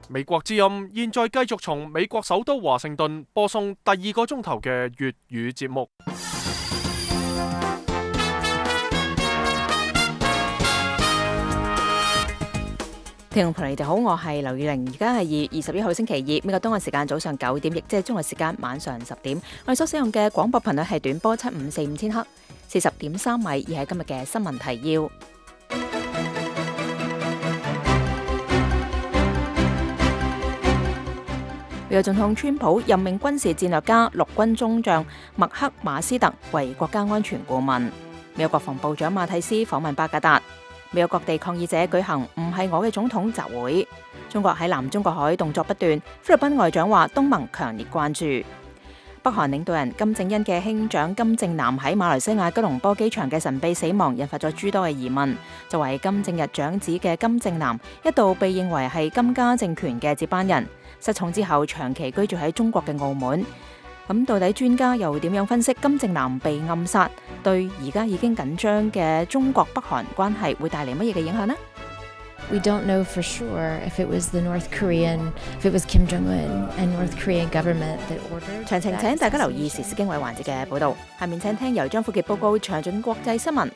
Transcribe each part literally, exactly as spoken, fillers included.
美國之音現在繼續從美國首都華盛頓播送第二個鐘頭嘅粵語節目。聽眾朋友，你哋好，我係劉宇玲，而家係二月二十一號星期二，美國東岸時間早上九點，亦即係中國時間晚上十點。我哋所使用嘅廣播頻率係短波七五四五千赫，四十點三米，而係今日嘅新聞提要。美國總統川普任命軍事戰略家陸軍中將麥克馬斯特為國家安全顧問。美國國防部長馬蒂斯訪問巴格達。美國各地抗議者舉行唔係我嘅總統集會。中國喺南中國海動作不斷，菲律賓外長話東盟強烈關注。北韓領導人金正恩嘅兄長金正男喺馬來西亞吉隆坡機場嘅神秘死亡，引發咗諸多嘅疑問。作為金正日長子嘅金正男，一度被認為係金家政權嘅接班人。失寵之後，長期居住喺中國嘅澳門。咁到底專家又點樣分析金正男被暗殺對而家已經緊張嘅中國北韓關係會帶嚟乜嘢嘅影響呢？ We don't know for sure if it was the North Korean, if it was Kim Jong-un and North Korean government that ordered. 詳情請大家留意時事經緯環節嘅報導。下面請聽由張富傑報告詳盡國際新聞。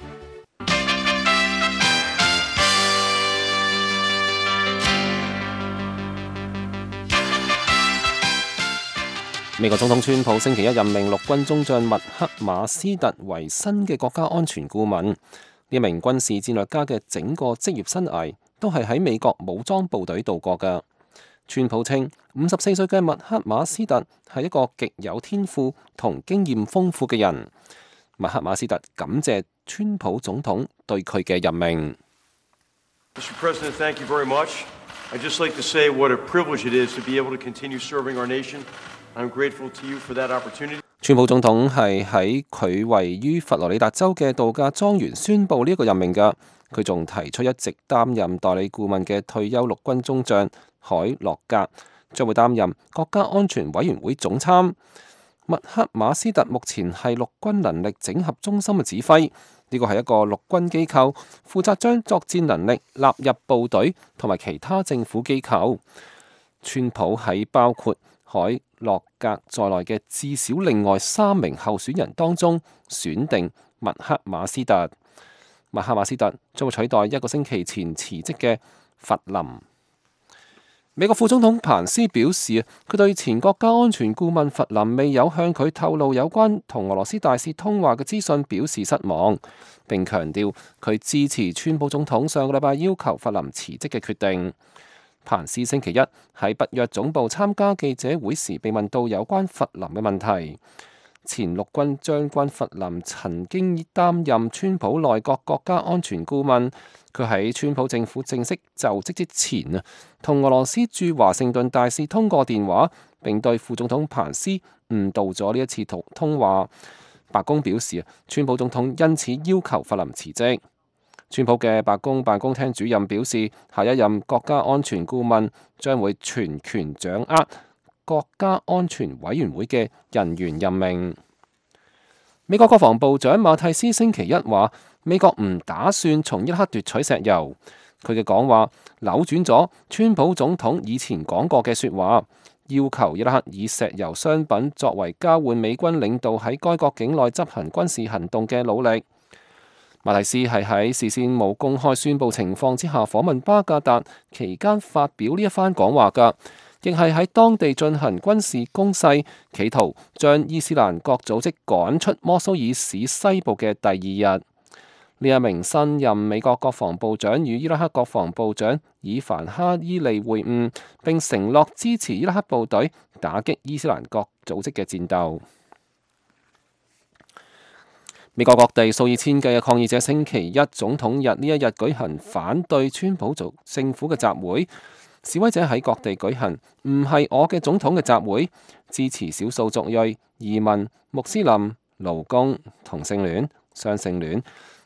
美國總統川普星期一任命陸軍中將麥克馬斯特為新嘅國家安全顧問。呢一名軍事戰略家嘅整個職業生涯都係喺美國武裝部隊度過嘅。川普稱，五十四歲嘅麥克馬斯特係一個極有天賦同經驗豐富嘅人。麥克馬斯特感謝川普總統對佢嘅任命。Mister President, thank you very much. I'd just like to say what a privilege it is to be able to continue serving our nation.I'm grateful to you for that opportunity. 川普總統係喺佢位於佛羅里達州嘅度假莊園宣布呢一個任命㗎。佢仲提出一直擔任代理顧問嘅退休陸軍中將海洛格將會擔任國家安全委員會總參。麥克馬斯特目前係陸軍能力整合中心嘅指揮，呢個係一個陸軍機構，負責將作戰能力納入部隊同埋其他政府機構。川普喺包括海洛格在內嘅至少另外三名候選人當中選定麥克馬斯特。麥克馬斯特將會取代一個星期前辭職嘅弗林。美國副總統彭斯表示，佢對前國家安全顧問弗林未有向佢透露有關同俄羅斯大使通話嘅資訊表示失望，並強調佢支持川普總統上個禮拜要求弗林辭職嘅決定。彭斯星期一喺北約總部參加記者會時被問到有關弗林嘅問題。前陸軍將軍弗林曾經擔任川普內閣國家安全顧問，佢喺川普政府正式就職之前啊，同俄羅斯駐華盛頓大使通過電話，並對副總統彭斯誤導咗呢一次通通話。白宮表示，川普總統因此要求弗林辭職。川普嘅白宮辦公廳主任表示，下一任國家安全顧問將會全權掌握國家安全委員會嘅人員任命。美國國防部長馬蒂斯星期一話，美國唔打算從伊拉克奪取石油。佢嘅講話扭轉咗川普總統以前講過嘅說話，要求伊拉克以石油商品作為交換美軍領導喺該國境內執行軍事行動嘅努力。馬蒂斯係喺事先冇公開宣佈情況之下訪問巴格達期間發表呢一番講話㗎，亦係喺當地進行軍事攻勢，企圖將伊斯蘭國組織趕出摩蘇爾市西部嘅第二日。呢一名新任美國國防部長與伊拉克國防部長以凡哈伊利會晤，並承諾支持伊拉克部隊打擊伊斯蘭國組織嘅戰鬥。美國各地數以千計嘅抗議者星期一總統日呢一日舉行反對川普政府嘅集會，示威者喺各地舉行唔係我嘅總統嘅集會，支持少數族裔、移民、穆斯林、勞工、同性戀、雙性戀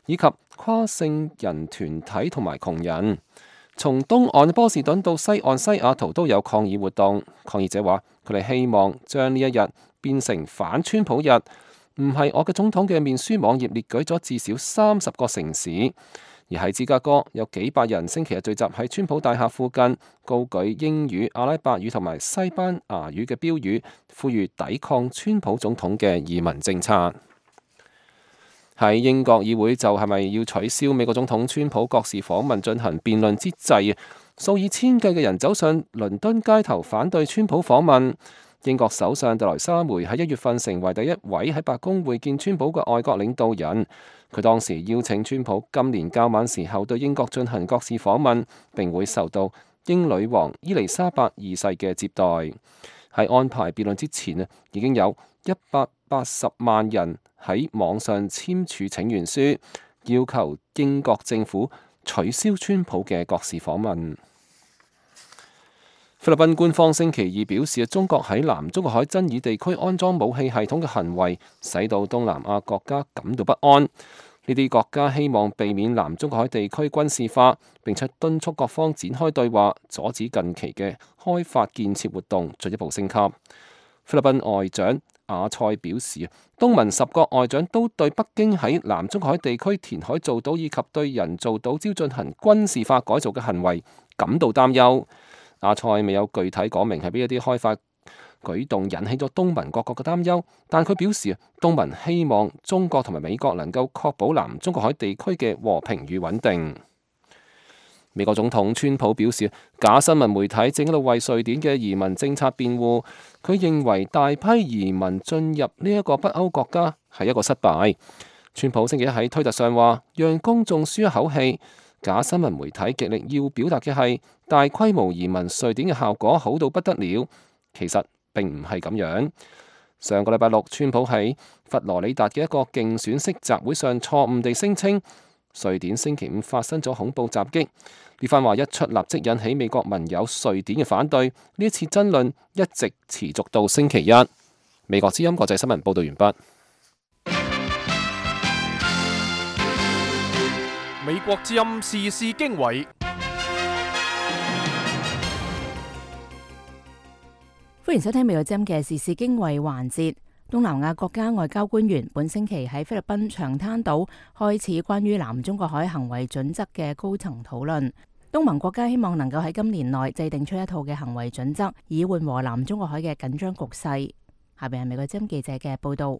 以及跨性人團體同埋窮人。從東岸波士頓到西岸西雅圖都有抗議活動。抗議者話佢哋希望將呢一日變成反川普日。唔係我嘅總統嘅面書網頁列舉咗至少三十個城市，而喺芝加哥，有幾百人星期日聚集喺川普大廈附近，高舉英語、阿拉伯語同埋西班牙語嘅標語，呼籲抵抗川普總統嘅移民政策。喺英國議會就係咪要取消美國總統川普國事訪問進行辯論之際，數以千計嘅人走上倫敦街頭反對川普訪問。英國首相特萊莎梅喺一月份成為第一位喺白宮會見川普嘅外國領導人。佢當時邀請川普今年較晚時候對英國進行國事訪問，並會受到英女王伊麗莎白二世嘅接待。喺安排辯論之前啊，已經有一百八十萬人喺網上簽署請願書，要求英國政府取消川普嘅國事訪問。菲律賓官方星期二表示，中國喺南中國海爭議地區安裝武器系統嘅行為，使到東南亞國家感到不安。呢啲國家希望避免南中國海地區軍事化，並且敦促各方展開對話，阻止近期嘅開發建設活動進一步升級。菲律賓外長亞塞表示，東盟十國外長都對北京喺南中國海地區填海造島以及對人造島礁進行軍事化改造嘅行為感到擔憂。亞塞未有具體講明係邊一啲開發舉動引起咗東盟各國嘅擔憂，但佢表示東盟希望中國同埋美國能夠確保南中國海地區嘅和平與穩定。美國總統川普表示，假新聞媒體正喺度為瑞典嘅移民政策辯護。佢認為大批移民進入呢一個北歐國家係一個失敗。川普星期一喺推特上話，讓公眾舒一口氣。假新聞媒體極力要表達嘅係大規模移民瑞典嘅效果好到不得了，其實並唔係咁樣。上個禮拜六，川普喺佛羅里達嘅一個競選式集會上錯誤地聲稱瑞典星期五發生咗恐怖襲擊。呢番話一出，立即引起美國盟友瑞典嘅反對。呢一次爭論一直持續到星期一。美國之音國際新聞報道完畢。美國之音時事經緯，歡迎收聽美國之音嘅時事經緯環節。東南亞國家外交官員本星期喺菲律賓長灘島開始關於南中國海行為準則嘅高層討論。東盟國家希望能夠喺今年內制定出一套嘅行為準則，以緩和南中國海嘅緊張局勢。下邊係美國之音記者嘅報道。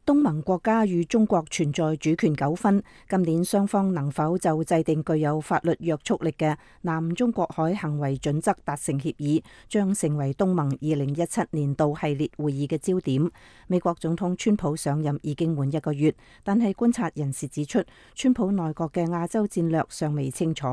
東盟國家與中國存在主權糾紛，今年雙方能否就制定具有法律約束力嘅南中國海行為準則達成協議，將成為東盟二零一七年度系列會議嘅焦點。美國總統川普上任已經滿一個月，但係觀察人士指出，川普內閣嘅亞洲戰略尚未清楚。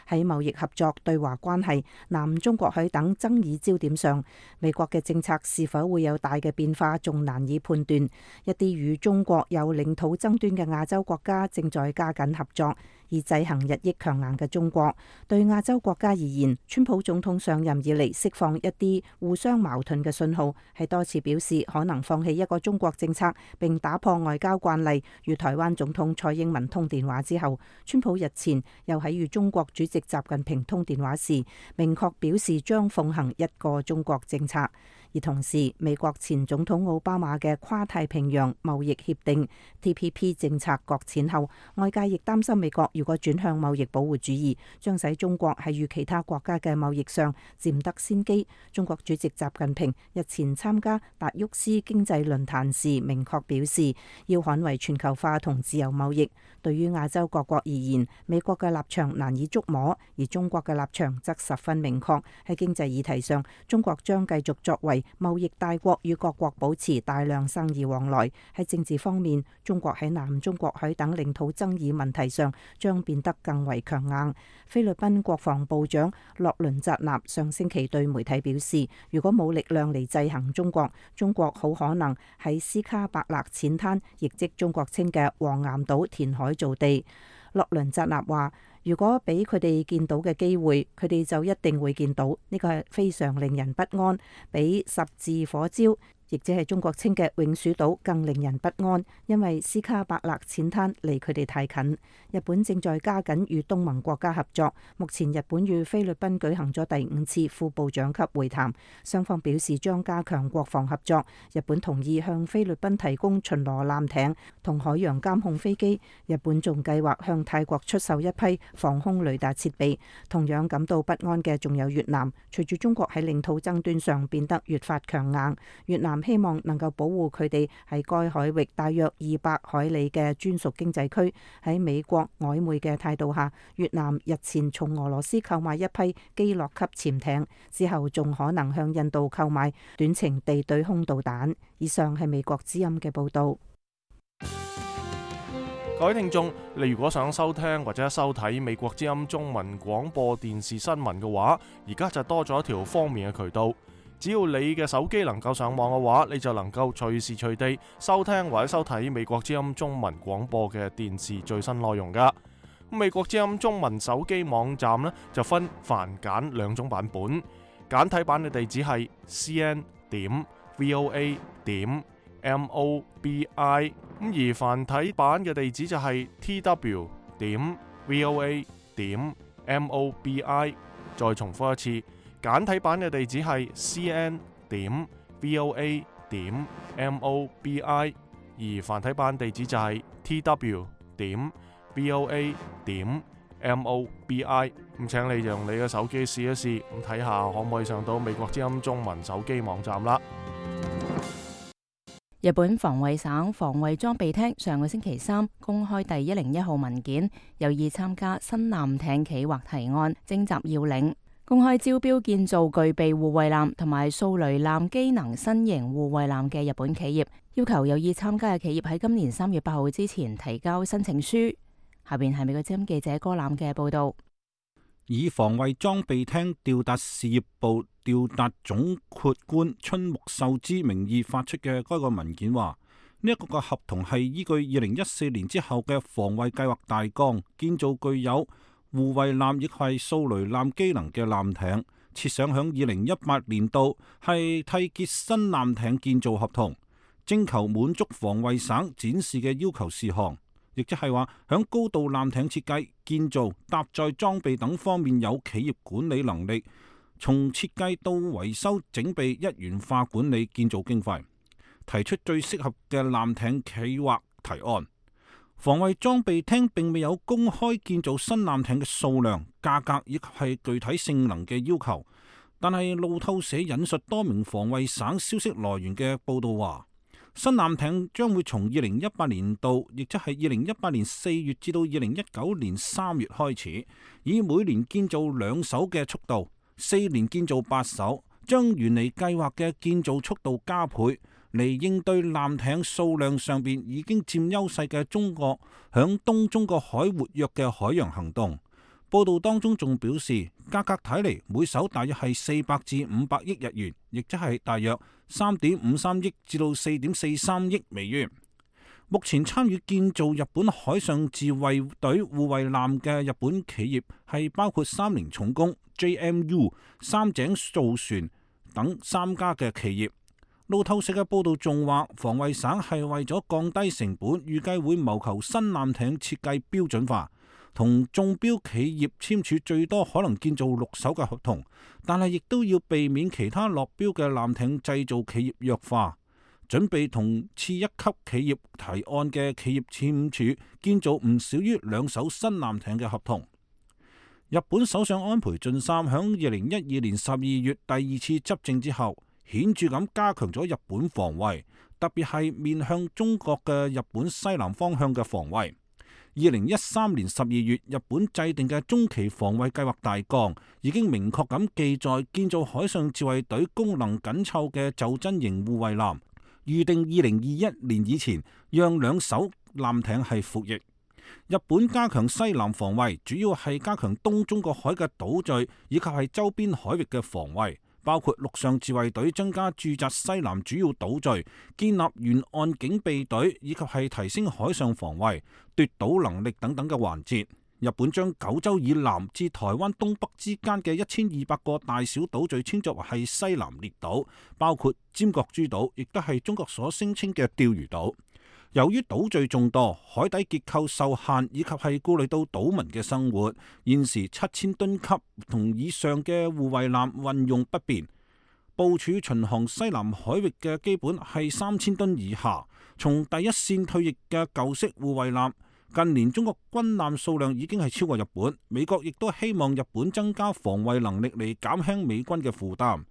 喺貿易合作、對華關係、南中國海等爭議焦點上，美國嘅政策是否會有大嘅變化，仲難以判斷。一啲與中國有領土爭端嘅亞洲國家正在加緊合作，以制衡日益強硬嘅中國。對亞洲國家而言，川普總統上任以嚟釋放一啲互相矛盾嘅信號，係多次表示可能放棄一個中國政策，並打破外交慣例，與台灣總統蔡英文通電話之後，川普日前又喺與中國主席習近平通電話時，明確表示將奉行一個中國政策。而同時，美國前總統奧巴馬嘅跨太平洋貿易協定 T P P 政策擱淺後，外界亦擔心美國如果轉向貿易保護主義，將使中國喺與其他國家嘅貿易上佔得先機。中國主席習近平日前參加達沃斯經濟論壇時，明確表示要捍衛全球化同自由貿易。對於亞洲各國而言，美國嘅立場難以捉摸，而中國嘅立場則十分明確。喺經濟議題上，中國將繼續作為貿易大國，與各國保持大量生意往來。喺政治方面，中國喺南中國海等領土爭議問題上將變得更為強硬。菲律賓國防部長洛倫扎納上星期對媒體表示，如果冇力量嚟制衡中國，中國好可能喺斯卡伯勒淺灘，亦即中國稱嘅黃岩島填海造地。洛倫扎納話，如果俾佢哋見到嘅機會，佢哋就一定會見到。呢個係非常令人不安，比十字火焦，亦即係中國稱嘅永暑島更令人不安，因為斯卡伯勒淺灘離佢哋太近。日本正在加緊與東盟國家合作，目前日本與菲律賓舉行咗第五次副部長級會談，雙方表示將加強國防合作。日本同意向菲律賓提供巡邏艦艇同海洋監控飛機，日本仲計劃向泰國出售一批防空雷達設備。同樣感到不安嘅仲有越南，隨住中國喺領土爭端上變得越發強硬，越南希望能夠保護佢哋喺該海域大約二百海里嘅專屬經濟區。喺美國曖昧嘅態度下，越南日前從俄羅斯購買一批基洛級潛艇，之後仲可能向印度購買短程地對空導彈。以上係美國之音嘅報導。各位聽眾，你如果想收聽或者收睇美國之音中文廣播電視新聞嘅話，而家就多咗一條方便嘅渠道。只要你嘅手機能夠上網嘅話，你就能夠隨時隨地收聽或者收睇美國之音中文廣播嘅電視最新內容噶。美國之音中文手機網站呢，就分繁簡兩種版本，簡體版嘅地址係 c n 點 v o a 點 m o b i。咁而繁體版嘅地址就係 t w 點 v o a 點 m o b i。再重複一次，簡體版嘅地址係 c n 點 v o a 點 m o b i， 而繁體版地址就係 t w 點 v o a 點 m o b i。咁請你用你嘅手機試一試，咁睇下可唔可以上到美國之音中文手機網站啦。日本防衛省防衛裝備廳上個星期三公開第一零一號文件，有意參加新艦艇企劃提案，徵集要領，公開招標建造具備護衛艦同埋掃雷艦機能新型護衛艦嘅日本企業，要求有意參加嘅企業喺今年三月八號之前提交申請書。下邊係美國之音記者柯攬嘅報道。以防衛裝備廳調達事業部調達總括官春木秀之名義發出嘅該個文件話，呢一個嘅合同係依據二零一四年之後嘅防衛計劃大綱，建造具有護衛艦亦係掃雷艦機能嘅艦艇，設想響二零一八年度係締結新艦艇建造合同，徵求滿足防衛省展示嘅要求事項。亦即係話，響高度艦艇設計、建造、搭載裝備等方面有企業管理能力，從設計到維修整備一元化管理建造經費，提出最適合嘅艦艇企劃提案。防衛裝備廳並未有公開建造新艦艇嘅數量、價格以及係具體性能嘅要求，但係路透社引述多名防衛省消息來源嘅報道話，新艦艇將會從二零一八年度，亦即係二零一八年四月至到二零一九年三月開始，以每年建造兩艘嘅速度，四年建造八艘，將原嚟計劃嘅建造速度加倍，嚟應對艦艇數量上邊已經佔優勢嘅中國響東中國海活躍嘅海洋行動。報道當中仲表示，價格睇嚟每艘大約係四百至五百億日元，亦即係大約三點五三億至到四點四三億美元。目前參與建造日本海上自衛隊護衛艦嘅日本企業係包括三菱重工、J M U、三井造船等三家嘅企業。路透社嘅報道仲話，防衛省係為咗降低成本，預計會謀求新艦艇設計標準化，同中標企業簽署最多可能建造六艘嘅合同，但係亦都要避免其他落標嘅艦艇製造企業弱化，準備同次一級企業提案嘅企業簽署建造唔少於兩艘新艦艇嘅合同。日本首相安倍晉三響二零一二年十二月第二次執政之後，顯著咁加強咗日本防衛，特別係面向中國嘅日本西南方向嘅防衛。二零一三年十二月，日本制定嘅中期防衛計劃大綱已經明確咁記載建造海上自衛隊功能緊湊嘅袖珍型護衛艦，預定二零二一年以前讓兩艘艦艇係服役。日本加強西南防衛，主要係加強東中國海嘅島嶼以及係周邊海域嘅防衛，包括陸上自衛隊增加駐紮西南主要島嶼，建立沿岸警備隊，以及係提升海上防衛、奪島能力等等嘅環節。日本將九州以南至台灣東北之間嘅一千二百個大小島嶼稱作為係西南列島，包括尖閣諸島，亦都係中國所聲稱嘅釣魚島。由於島嶼眾多，海底結構受限，以及係顧慮到島民嘅生活，現時七千噸級同以上嘅護衛艦運用不便。部署巡航西南海域嘅基本係三千噸以下。從第一線退役嘅舊式護衛艦，近年中國軍艦數量已經係超過日本。美國亦都希望日本增加防衛能力嚟減輕美軍嘅負擔。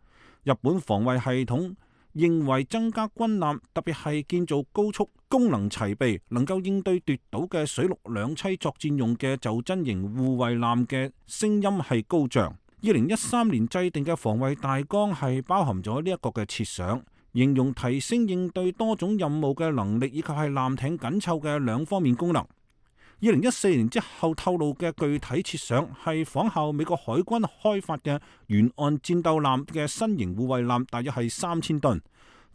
日本防衛系統認為增加軍艦，特別係建造高速、功能齊備、能夠應對奪島嘅水陸兩棲作戰用嘅袖珍型護衛艦嘅聲音係高漲。二零一三年制定嘅防衛大綱係包含咗呢一個嘅設想，形容提升應對多種任務嘅能力，以及係艦艇緊湊嘅兩方面功能。二零一四年之後透露嘅具體設想係仿效美國海軍開發嘅沿岸戰鬥艦嘅新型護衛艦，大約係三千噸，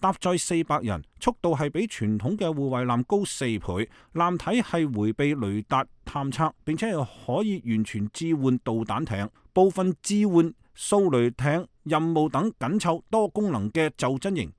搭載四百人，速度係比傳統嘅護衛艦高四倍，艦體係迴避雷達探測，並且係可以完全置換導彈艇，部分置換掃雷艇任務等緊湊多功能嘅袖珍型。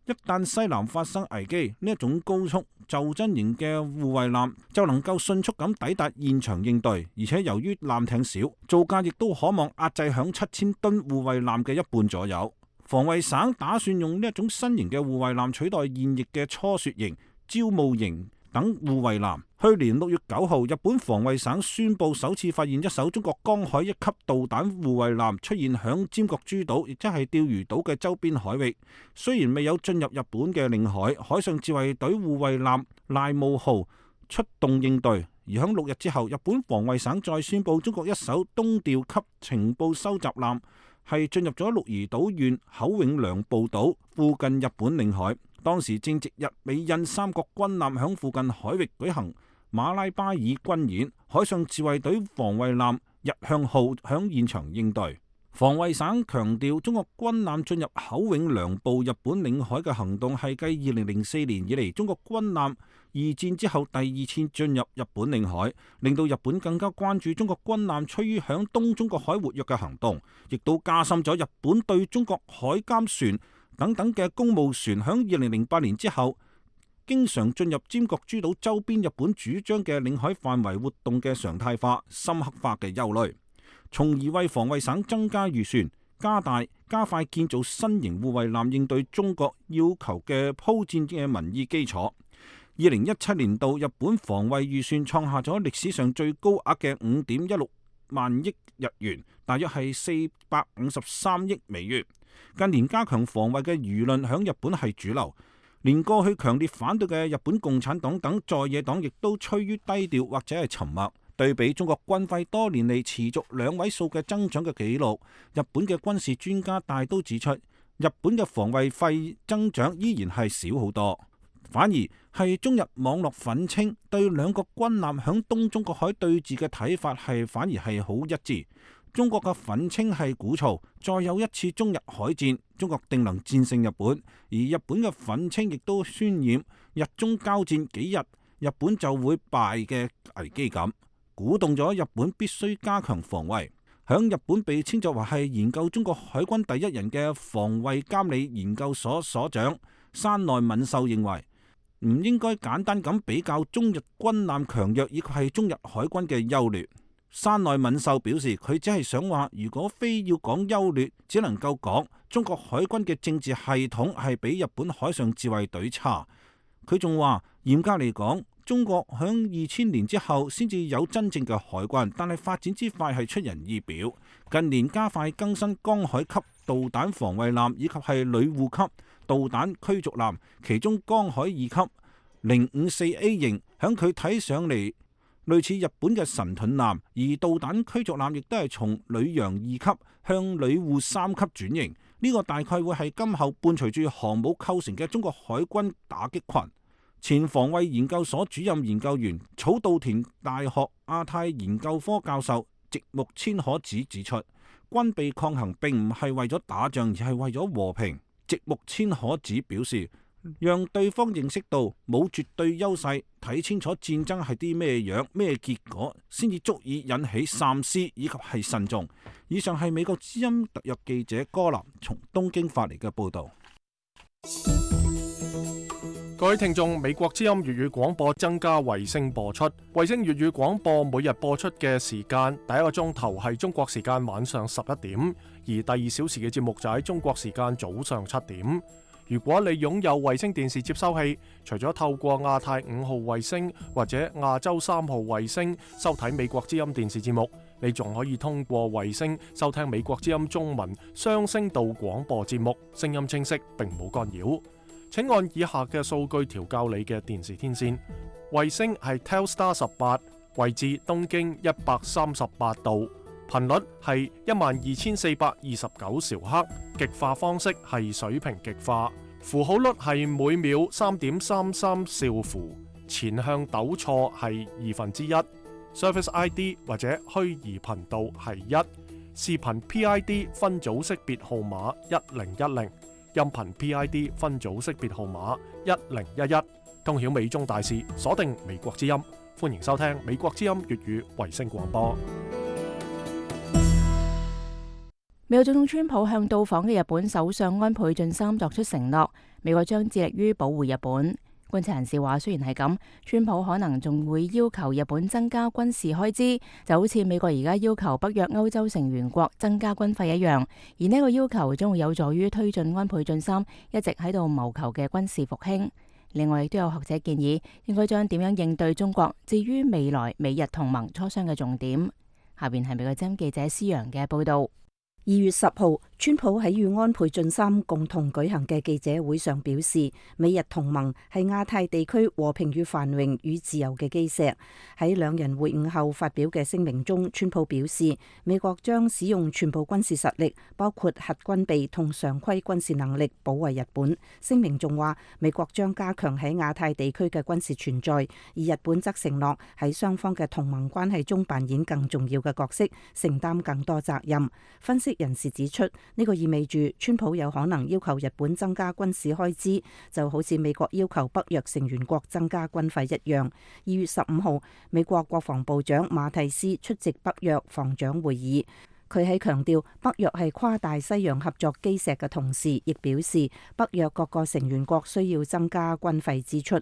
一旦西南發生危機，呢一種高速袖珍型嘅護衛艦就能夠迅速咁抵達現場應對，而且由於艦艇少，造價亦都可望壓制響七千噸護衛艦嘅一半左右。防衛省打算用呢一種新型嘅護衛艦取代現役嘅初雪型、招募型等護衛艦。去年六月九號，日本防衛省宣布首次發現一艘中國江海一級導彈護衛艦出現響尖閣諸島，亦即係釣魚島嘅周邊海域。雖然未有進入日本嘅領海，海上自衛隊護衛艦賴務號出動應對。而響六日之後，日本防衛省再宣布中國一艘東調級情報收集艦係進入咗鹿兒島縣口永良部島附近日本領海。當時正值日美印三國軍艦響附近海域舉行馬拉巴爾軍演，海上自衛隊防衛艦日向號響現場應對。防衛省強調，中國軍艦進入口永良部日本領海嘅行動係繼二零零四年以嚟中國軍艦二戰之後第二次進入日本領海，令到日本更加關注中國軍艦趨於響東中國海活躍嘅行動，亦都加深咗日本對中國海監船等等嘅公務船響二零零八年之後經常進入尖閣諸島周邊日本主張嘅領海範圍活動嘅常態化、深刻化嘅憂慮，從而為防衛省增加預算，加大加快建造新型護衛艦應對中國要求嘅鋪墊嘅民意基礎。二零一七年度日本防衛預算創下咗歷史上最高額嘅五點一六萬億日元，大約係四百五十三億美元。近年加強防衛嘅輿論響日本係主流，連過去強烈反對嘅日本共產黨等在野黨亦都趨於低調或者係沉默。對比中國軍費多年嚟持續兩位數嘅增長嘅紀錄，日本嘅軍事專家大都指出，日本嘅防衛費增長依然係少好多，反而係中日網絡憤青對兩個軍艦響東中國海對峙嘅睇法係反而係好一致。中國嘅憤青係鼓噪再有一次中日海戰，中國定能戰勝日本；而日本嘅憤青亦都渲染日中交戰幾日，日本就會敗嘅危機感，鼓動咗日本必須加強防衛。響日本被稱作為係研究中國海軍第一人嘅防衛監理研究所所長山內敏秀認為，唔應該簡單咁比較中日軍艦強弱以及係中日海軍嘅優劣。山內敏秀表示，佢只係想話，如果非要講優劣，只能夠講中國海軍嘅政治系統係比日本海上自衛隊差。佢仲話，嚴格嚟講，中國響二千年之後先至有真正嘅海軍，但係發展之快係出人意表。近年加快更新江海級導彈防衛艦以及係女護級導彈驅逐艦，其中江海二級零五四 A 型響佢睇上嚟類似日本嘅神盾艦，而導彈驅逐艦亦都係從女洋二級向女護三級轉型。呢、這個大概會係今後伴隨住航母構成嘅中國海軍打擊群。前防衛研究所主任研究員、草稻田大學亞太研究科教授植木千可子指出，軍備抗衡並唔係為咗打仗，而係為咗和平。植木千可子表示，讓對方認識到冇絕對優勢，睇清楚戰爭係啲咩樣、咩結果，先至足以引起三思以及係慎重。以上係美國之音特約記者柯南從東京發嚟嘅報導。各位聽眾，美國之音粵語廣播增加衛星播出。衛星粵語廣播每日播出嘅時間，第一個鐘頭係中國時間晚上十一點，而第二小時嘅節目就喺中國時間早上七點。如果你擁有衛星電視接收器，除咗透過亞太五號衛星或者亞洲三號衛星收睇美國之音電視節目，你仲可以通過衛星收聽美國之音中文雙聲道廣播節目，聲音清晰並冇干擾。請按以下嘅數據調校你嘅電視天線。衛星係 Telstar 十八，位置東經一百三十八度，頻率係一萬二千四百二十九兆赫，極化方式係水平極化，符號率係每秒三點三三兆符，前向抖錯係二分之一，Service I D 或者虛擬頻道係一，視頻 P I D 分組識別號碼一零一零。音頻 P I D 分組識別號碼一零一一，通曉美中大事，鎖定美國之音，歡迎收聽美國之音粵語衛星廣播。美國總統川普向到訪嘅日本首相安倍晉三作出承諾，美國將致力於保護日本。觀察人士話，雖然係咁，川普可能仲會要求日本增加軍事開支，就好似美國而家要求北約歐洲成員國增加軍費一樣。而呢個要求將會有助於推進安倍晉三一直喺度謀求嘅軍事復興。另外，亦都有學者建議，應該將點樣應對中國置於未來美日同盟磋商嘅重點。下邊係美國之音記者施陽嘅報道。二月十號，川普喺與安倍晉三共同舉行嘅記者會上表示，美日同盟係亞太地區和平與繁榮與自由嘅基石。喺兩人會晤後發表嘅聲明中，川普表示，美國將使用全部軍事實力，包括核軍備同常規軍事能力，保衛日本。聲明仲話，美國將加強喺亞太地區嘅軍事存在，而日本則承諾喺雙方嘅同盟關係中扮演更重要嘅角色，承擔更多責任。分析人士指出，呢個意味住川普有可能要求日本增加軍事開支，就好似美國要求北約成員國增加軍費一樣。二月十五號，美國國防部長馬蒂斯出席北約防長會議，佢喺強調北約係跨大西洋合作基石嘅同時，亦表示北約各個成員國需要增加軍費支出。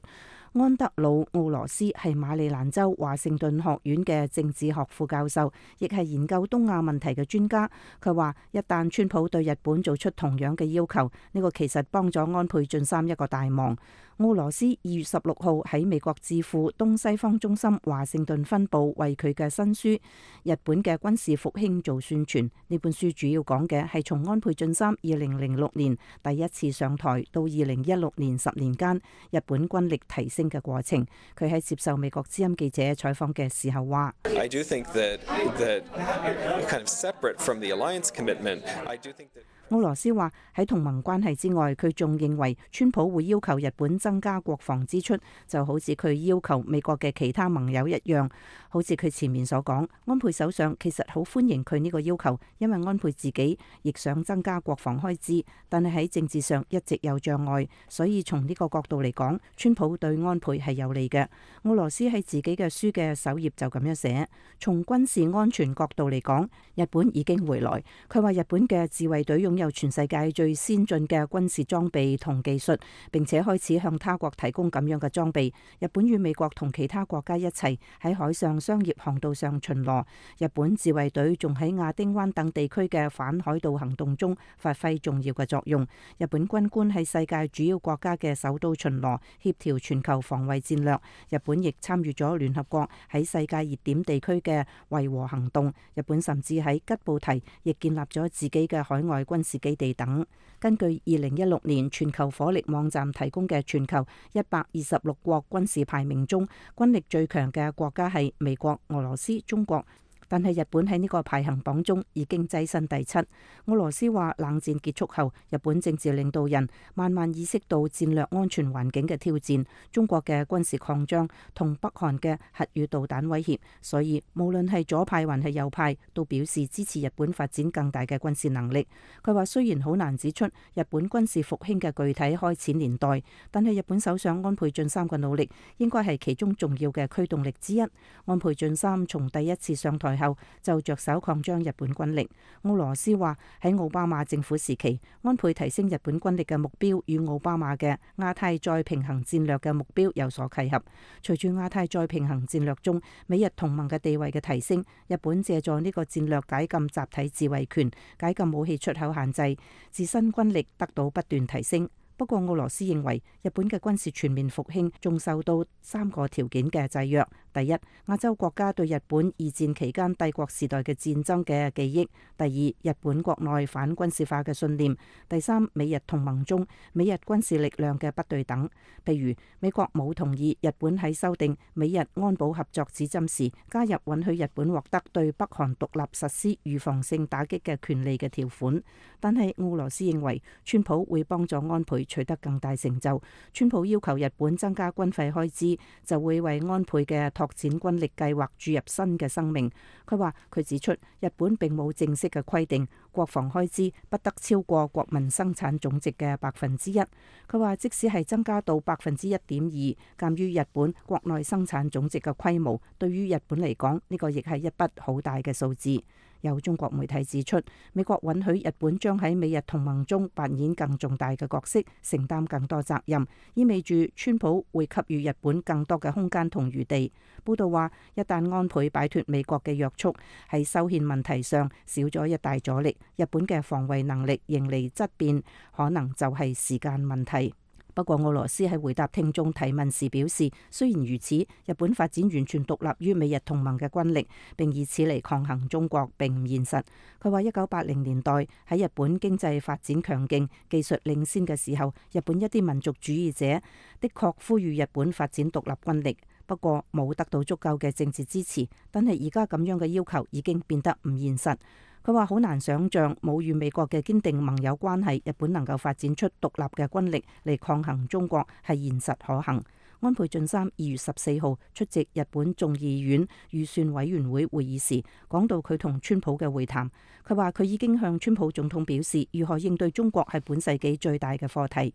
安德魯奧羅斯係馬里蘭州華盛頓學院嘅政治學副教授，亦係研究東亞問題嘅專家。佢話，一旦川普對日本做出同樣嘅要求，呢個其實幫咗安倍晉三一個大忙。奧羅斯二月十六號喺美國智庫東西方中心華盛頓分部為佢嘅新書《日本嘅軍事復興》做宣傳。呢本書主要講嘅係從安倍晉三二零零六年第一次上台到二零一六年十年間日本軍力提升嘅過程。佢喺接受美國之音記者採訪嘅時候話：I do think that that kind of separate from the alliance commitment, I do think that奧羅斯話喺同盟關係之外，佢仲認為川普會要求日本增加國防支出，就好似佢要求美國嘅其他盟友一樣。好似佢前面所講，安倍首相其實好歡迎佢呢個要求，因為安倍自己亦想增加國防開支，但係喺政治上一直有障礙，所以從呢個角度嚟講，川普對安倍係有利嘅。奧羅斯喺自己嘅書嘅首頁就咁樣寫：從軍事安全角度嚟講，日本已經回來。佢話日本嘅自衛隊用有全世界最先進嘅軍事裝備同技術，並且開始向他國提供咁樣嘅裝備。日本與美國同其他國家一齊喺海上商業航道上巡邏。日本自衛隊仲喺亞丁灣等地區嘅反海盜行動中發揮重要嘅作用。日本軍官喺世界主要國家嘅首都巡邏，協調全球防衛戰略。日本亦參與咗聯合國喺世界熱點地區嘅維和行動。日本甚至喺吉布提亦建立咗自己嘅海外軍事基地等。根據二零一六年全球火力網站提供嘅全球一百二十六國軍事排名中，軍力最強嘅國家係美國、俄羅斯、中國、但係日本喺呢個排行榜中已經躋身第七。俄羅斯話冷戰結束後，日本政治領導人慢慢意識到戰略安全環境嘅挑戰，中國嘅軍事擴張同北韓嘅核與導彈威脅，所以無論係左派還係右派都表示支持日本發展更大嘅軍事能力。佢話雖然好難指出日本軍事復興嘅具體開始年代，但係日本首相安倍晉三嘅努力應該係其中重要嘅驅動力之一。安倍晉三從第一次上台後就着手擴張日本軍力。俄羅斯話喺奧巴馬政府時期，安倍提升日本軍力嘅目標與奧巴馬嘅亞太再平衡戰略嘅目標有所契合。隨住亞太再平衡戰略中美日同盟嘅地位嘅提升，日本借助呢個戰略解禁集體自衛權，解禁武器出口限制，自身軍力得到不斷提升。不過俄羅斯認為日本嘅軍事全面復興仲受到三個條件嘅制約。第一，亞洲國家對日本二戰期間帝國時代嘅戰爭嘅記憶；第二，日本國內反軍事化嘅信念；第三，美日同盟中美日軍事力量嘅不對等。譬如美國冇同意日本喺修訂美日安保合作指針時加入允許日本獲得對北韓獨立實施預防性打擊嘅權利嘅條款。但係俄羅斯認為川普會幫助安倍取得更大成就，川普要求日本增加軍費開支，就會為安倍嘅拓展軍力計劃注入新嘅生命。佢話佢指出，日本並冇正式嘅規定國防開支不得超過國民生產總值嘅百分之一。佢話即使係增加到百分之一點二，鑑於日本國內生產總值嘅規模，對於日本嚟講呢個亦係一筆好大嘅數字。有中國媒體指出，美國允許日本將喺美日同盟中扮演更重大嘅角色，承擔更多責任，意味住川普會給予日本更多嘅空間同餘地。報道話，一旦安倍擺脫美國嘅約束，喺修憲問題上少咗一大阻力，日本嘅防衛能力迎嚟質變，可能就係時間問題。不過俄羅斯喺回答聽眾提問時表示，雖然如此，日本發展完全獨立於美日同盟嘅軍力，並以此嚟抗衡中國並唔現實。佢話一九八零年代喺日本經濟發展強勁、技術領先嘅時候，日本一啲民族主義者的確呼籲日本發展獨立軍力，不過冇得到足夠嘅政治支持。但係而家咁樣嘅要求已經變得唔現實。佢話好難想像冇與美國嘅堅定盟友關係，日本能夠發展出獨立嘅軍力嚟抗衡中國係現實可行。安倍晉三二月十四號出席日本眾議院預算委員會會議時，講到佢同川普嘅會談。佢話佢已經向川普總統表示，如何應對中國係本世紀最大嘅課題。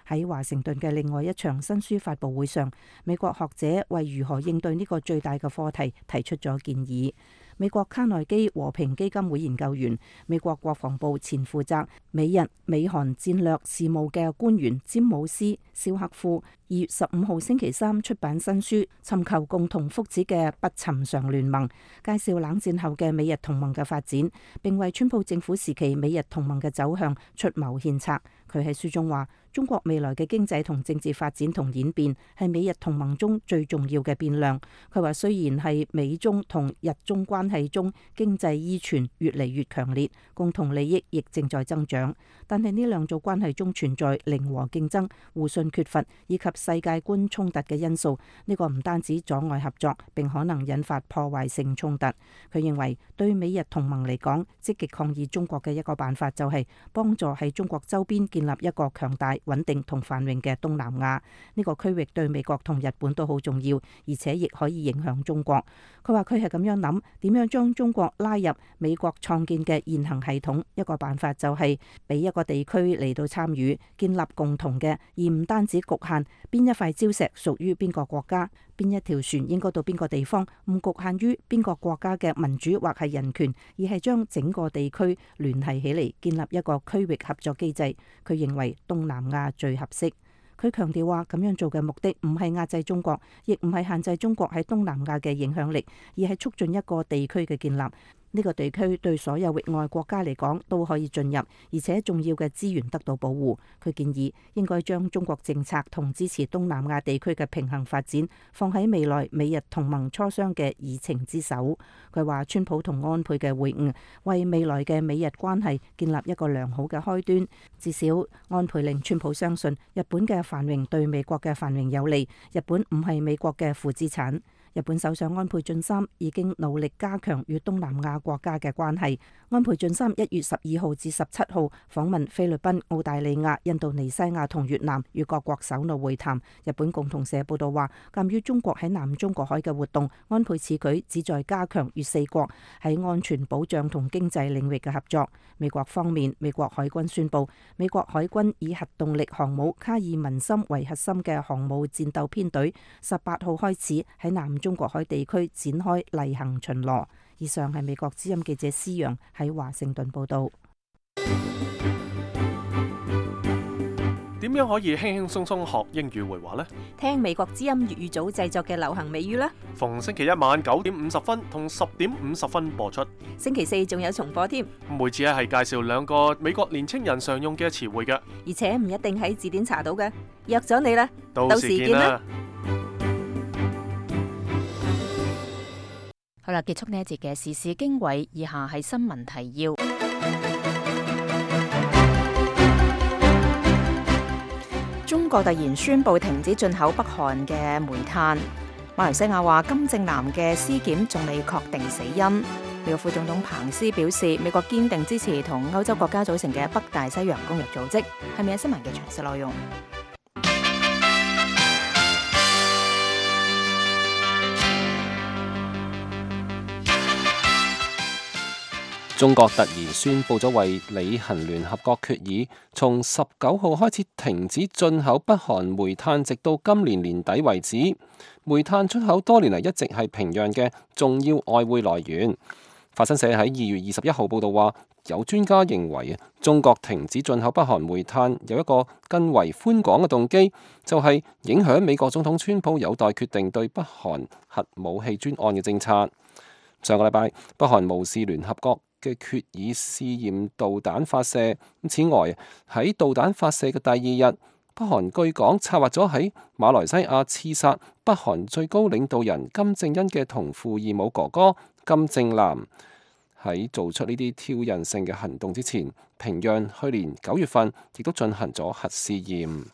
喺華盛頓嘅另外一場新書發佈會上，美國學者為如何應對呢個最大嘅課題提出咗建議。美國卡內基和平基金會研究員、美國國防部前負責美日美韓戰略事務嘅官員詹姆斯·肖克夫二月十五號星期三出版新書《尋求共同福祉嘅不尋常聯盟》，介紹冷戰後嘅美日同盟嘅發展，並為川普政府時期美日同盟嘅走向出謀獻策。佢喺書中話，中國未來嘅經濟同政治發展同演變係美日同盟中最重要嘅變量。佢話雖然係美中同日中關係中經濟依存越嚟越強烈，共同利益亦正在增長，但係呢兩組關係中存在零和競爭、互信缺乏以及世界觀衝突嘅因素。呢個唔單止阻礙合作，並可能引發破壞性衝突。佢認為對美日同盟嚟講，積極抗議中國嘅一個辦法就係幫助喺中國周邊建立一個強大、穩定同繁榮嘅東南亞。呢個區域對美國同日本都好重要，而且亦可以影響中國。佢話佢係咁樣諗，點樣將中國拉入美國創建嘅現行系統？一個辦法就係俾一個地區嚟到參與，建立共同嘅，而唔單止局限邊一塊礁石屬於邊個國家，邊一條船應該到邊個地方，唔局限於邊個國家嘅民主或係人權，而係將整個地區聯繫起嚟，建立一個區域合作機制。佢認為東南亞最合適。佢強調話，咁樣做嘅目的唔係壓制中國，亦唔係限制中國喺東南亞嘅影響力，而係促進一個地區嘅建立。呢個地區對所有域外國家嚟講都可以進入，而且重要嘅資源得到保護。佢建議應該將中國政策同支持東南亞地區嘅平衡發展放喺未來美日同盟磋商嘅議程之首。佢話川普同安倍嘅會晤為未來嘅美日關係建立一個良好嘅開端。至少安倍令川普相信日本嘅繁榮對美國嘅繁榮有利，日本唔係美國嘅負資產。日本首相安倍晉三已經努力加強與東南亞國家嘅關係。安倍晉三一月十二號至十七號訪問菲律賓、澳大利亞、印度尼西亞同越南，與各國首腦會談。日本共同社報道話，鑑於中國喺南中國海嘅活動，安倍此舉旨在加強與四國喺安全保障同經濟領域嘅合作。美國方面，美國海軍宣布，美國海軍以核動力航母卡爾文森為核心嘅航母戰鬥編隊，十八號開始喺南中國海地區展開例行巡邏。以上係美國之音記者施陽喺華盛頓報道。點樣可以輕輕鬆鬆學英語會話呢？聽美國之音粵語組製作嘅流行美語啦。逢星期一晚九點五十分同十點五十分播出。星期四仲有重播添。每次咧係介紹兩個美國年青人常用嘅詞彙嘅，而且唔一定喺字典查到嘅。約咗你啦，到時見啦。好啦，結束呢一節嘅時事經緯，以下係新聞提要。中國突然宣布停止進口北韓嘅煤炭。馬來西亞話金正男嘅屍檢仲未確定死因。美國副總統彭斯表示，美國堅定支持同歐洲國家組成嘅北大西洋公約組織。係咪有新聞嘅詳細內容？中國突然宣布咗為履行聯合國決議，從十九號開始停止進口北韓煤炭，直到今年年底為止。煤炭出口多年嚟一直係平壤嘅重要外匯來源。法新社喺二月二十一號報道話，有專家認為中國停止進口北韓煤炭有一個更為寬廣嘅動機，就係影響美國總統川普有待決定對北韓核武器專案嘅政策。上個禮拜，北韓無視聯合國嘅決議試驗導彈發射。此外，喺導彈發射嘅第二日，北韓據講策劃咗喺馬來西亞刺殺北韓最高領導人金正恩嘅同父異母哥哥金正男。喺做出呢啲挑釁性嘅行動之前，平壤去年九月份亦都進行咗核試驗。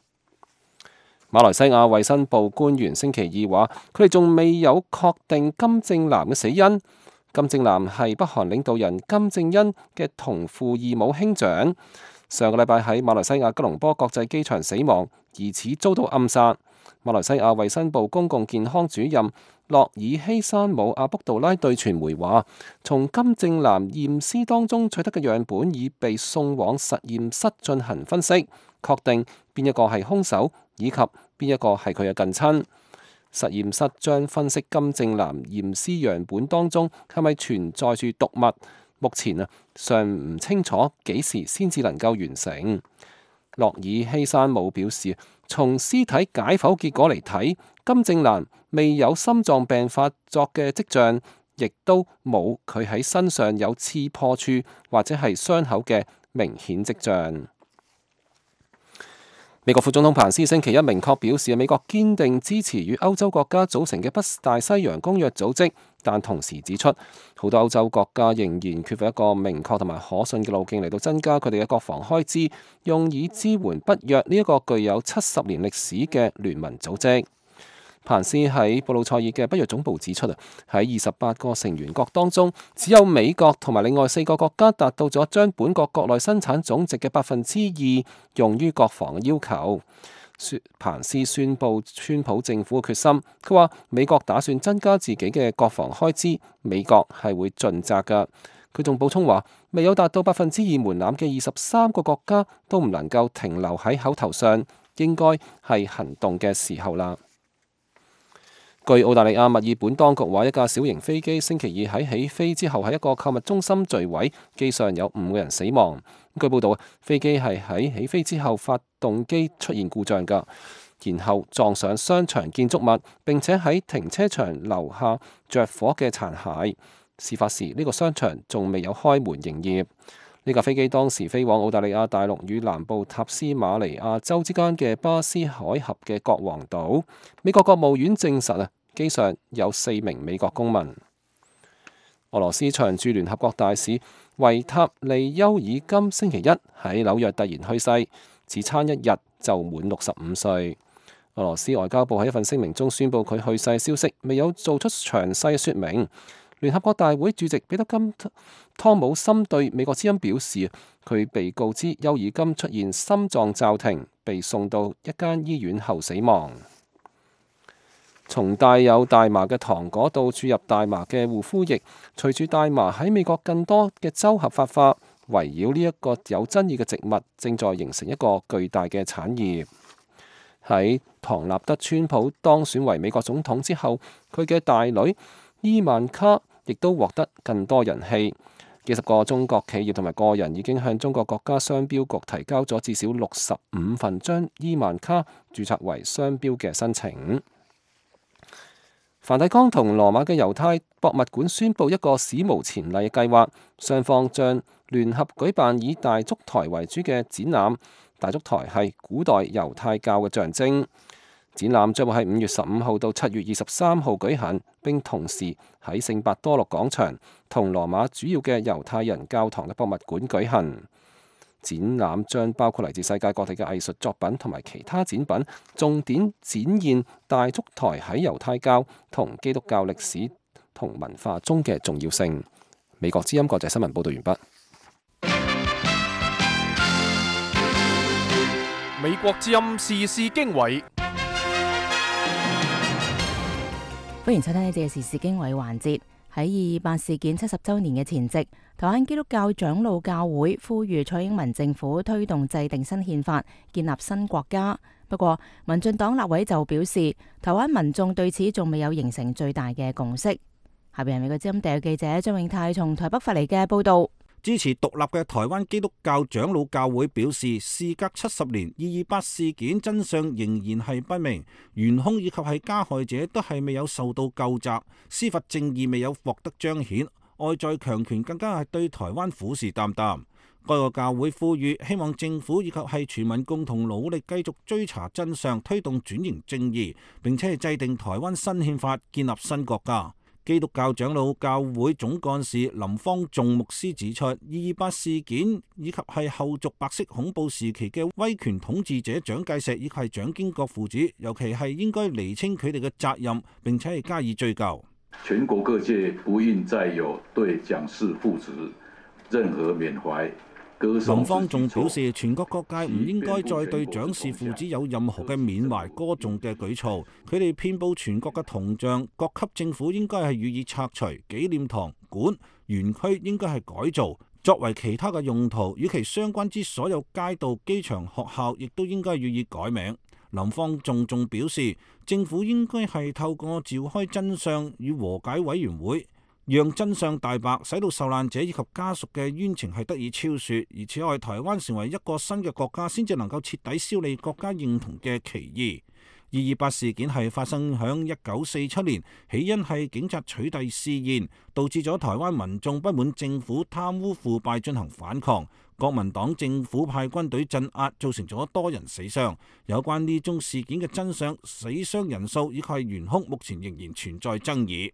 馬來西亞衛生部官員星期二話，佢哋仲未有確定金正男嘅死因。金正男係北韓領導人金正恩嘅同父異母兄長，上個禮拜喺馬來西亞吉隆坡國際機場死亡，疑似遭到暗殺。馬來西亞衛生部公共健康主任洛爾希山姆阿卜杜拉對傳媒話，從金正男驗屍當中取得嘅樣本已被送往實驗室進行分析，確定邊一個係兇手以及邊一個係佢嘅近親。實驗室將分析金正男驗屍樣本當中係咪存在住毒物，目前啊尚唔清楚幾時先至能夠完成。洛爾希山姆表示，從屍體解剖結果嚟睇，金正男未有心臟病發作嘅跡象，亦都冇佢喺身上有刺破處或者係傷口嘅明顯跡象。美國副總統彭斯星期一明確表示，美國堅定支持與歐洲國家組成嘅北大西洋公約組織，但同時指出，好多歐洲國家仍然缺乏一個明確同埋可信嘅路徑嚟到增加佢哋嘅國防開支，用以支援北約呢一個具有七十年歷史嘅聯盟組織。彭斯喺布魯塞爾嘅北約總部指出啊，喺二十八個成員國當中，只有美國同埋另外四個國家達到咗將本國國內生產總值嘅百分之二用於國防嘅要求。彭斯宣布川普政府嘅決心，佢話美國打算增加自己嘅國防開支，美國係會盡責㗎。佢仲補充話，未有達到百分之二門檻嘅二十三個國家都唔能夠停留喺口頭上，應該係行動嘅時候啦。據澳大利亞墨爾本當局話，一架小型飛機星期二喺起飛之後喺一個購物中心墜毀，機上有五個人死亡。據報道，飛機係喺起飛之後發動機出現故障㗎，然後撞上商場建築物，並且喺停車場留下着火嘅殘骸。事發時，呢個商場仲未有開門營業。呢架飛機當時飛往澳大利亞大陸與南部塔斯馬尼亞州之間嘅巴斯海峽嘅國王島。美國國務院證實啊，機上有四名美國公民。俄羅斯常駐聯合國大使維塔利休爾金星期一喺紐約突然去世，只差一日就滿六十五歲。俄俄羅斯外交部喺一份聲明中宣布佢去世消息，未有做出詳細說明。聯合國大會主席彼得金湯姆森對美國之音表示，佢被告知丘爾金出現心臟驟停，被送到一間醫院後死亡。從帶有大麻嘅糖果到注入大麻嘅護膚液，隨住大麻喺美國更多嘅州合法化，圍繞呢一個有爭議嘅植物正在形成一個巨大嘅產業。喺唐納德川普當選為美國總統之後，佢嘅大女伊萬卡亦都獲得更多人氣。幾十個中國企業同埋個人已經向中國國家商標局提交咗至少六十五份將伊萬卡註冊為商標嘅申請。梵蒂岡同羅馬嘅猶太博物館宣布一個史無前例嘅計劃，雙方將聯合舉辦以大燭台為主嘅展覽。大燭台係古代猶太教嘅象徵。展覽將會喺五月十五號到七月二十三號舉行，並同時喺聖伯多祿廣場同羅馬主要嘅猶太人教堂嘅博物館舉行。展覽將包括嚟自世界各地嘅藝術作品同埋其他展品，重點展現大燭台喺猶太教同基督教歷史同文化中嘅重要性。美國之音國際新聞報道完畢。美國之音時事經緯，歡迎收聽呢節嘅時事經緯環節。喺二二八事件七十週年嘅前夕，台灣基督教長老教會呼籲蔡英文政府推動制定新憲法，建立新國家。不過，民進黨立委就表示，台灣民眾對此仲未有形成最大嘅共識。下邊係美國之音特約記者張永泰從台北發嚟嘅報道。支持獨立嘅台灣基督教長老教會表示，事隔七十年，二二八事件真相仍然係不明，元兇以及係加害者都係未有受到究責，司法正義未有獲得彰顯，外在強權更加係對台灣虎視眈眈。該個教會呼籲，希望政府以及係全民共同努力，繼續追查真相，推動轉型正義，並且係制定台灣新憲法，建立新國家。基督教長老教會總幹事林方仲牧師指出，二二八事件以及係後續白色恐怖時期嘅威權統治者蔣介石以及係蔣經國父子，尤其係應該釐清佢哋嘅責任，並且係加以追究。全國各界不應再有對蔣氏父子任何緬懷。林方仲表示，全國各界唔應該再對蔣氏父子有任何嘅緬懷歌頌嘅舉措。佢哋遍佈全國嘅銅像，各級政府應該係予以拆除，紀念堂、館、園區應該係改造，作為其他嘅用途。與其相關之所有街道、機場、學校，亦都應該予以改名。林方仲仲表示，政府應該係透過召開真相與和解委員會，讓真相大白，使到受難者以及家屬嘅冤情係得以昭雪。而此外，台灣成為一個新嘅國家，先至能夠徹底消弭國家認同嘅歧義。二二八事件係發生響一九四七年，起因係警察取締試驗，導致咗台灣民眾不滿政府貪污腐敗進行反抗，國民黨政府派軍隊鎮壓，造成咗多人死傷。有關呢宗事件嘅真相、死傷人數以及係元兇，目前仍然存在爭議。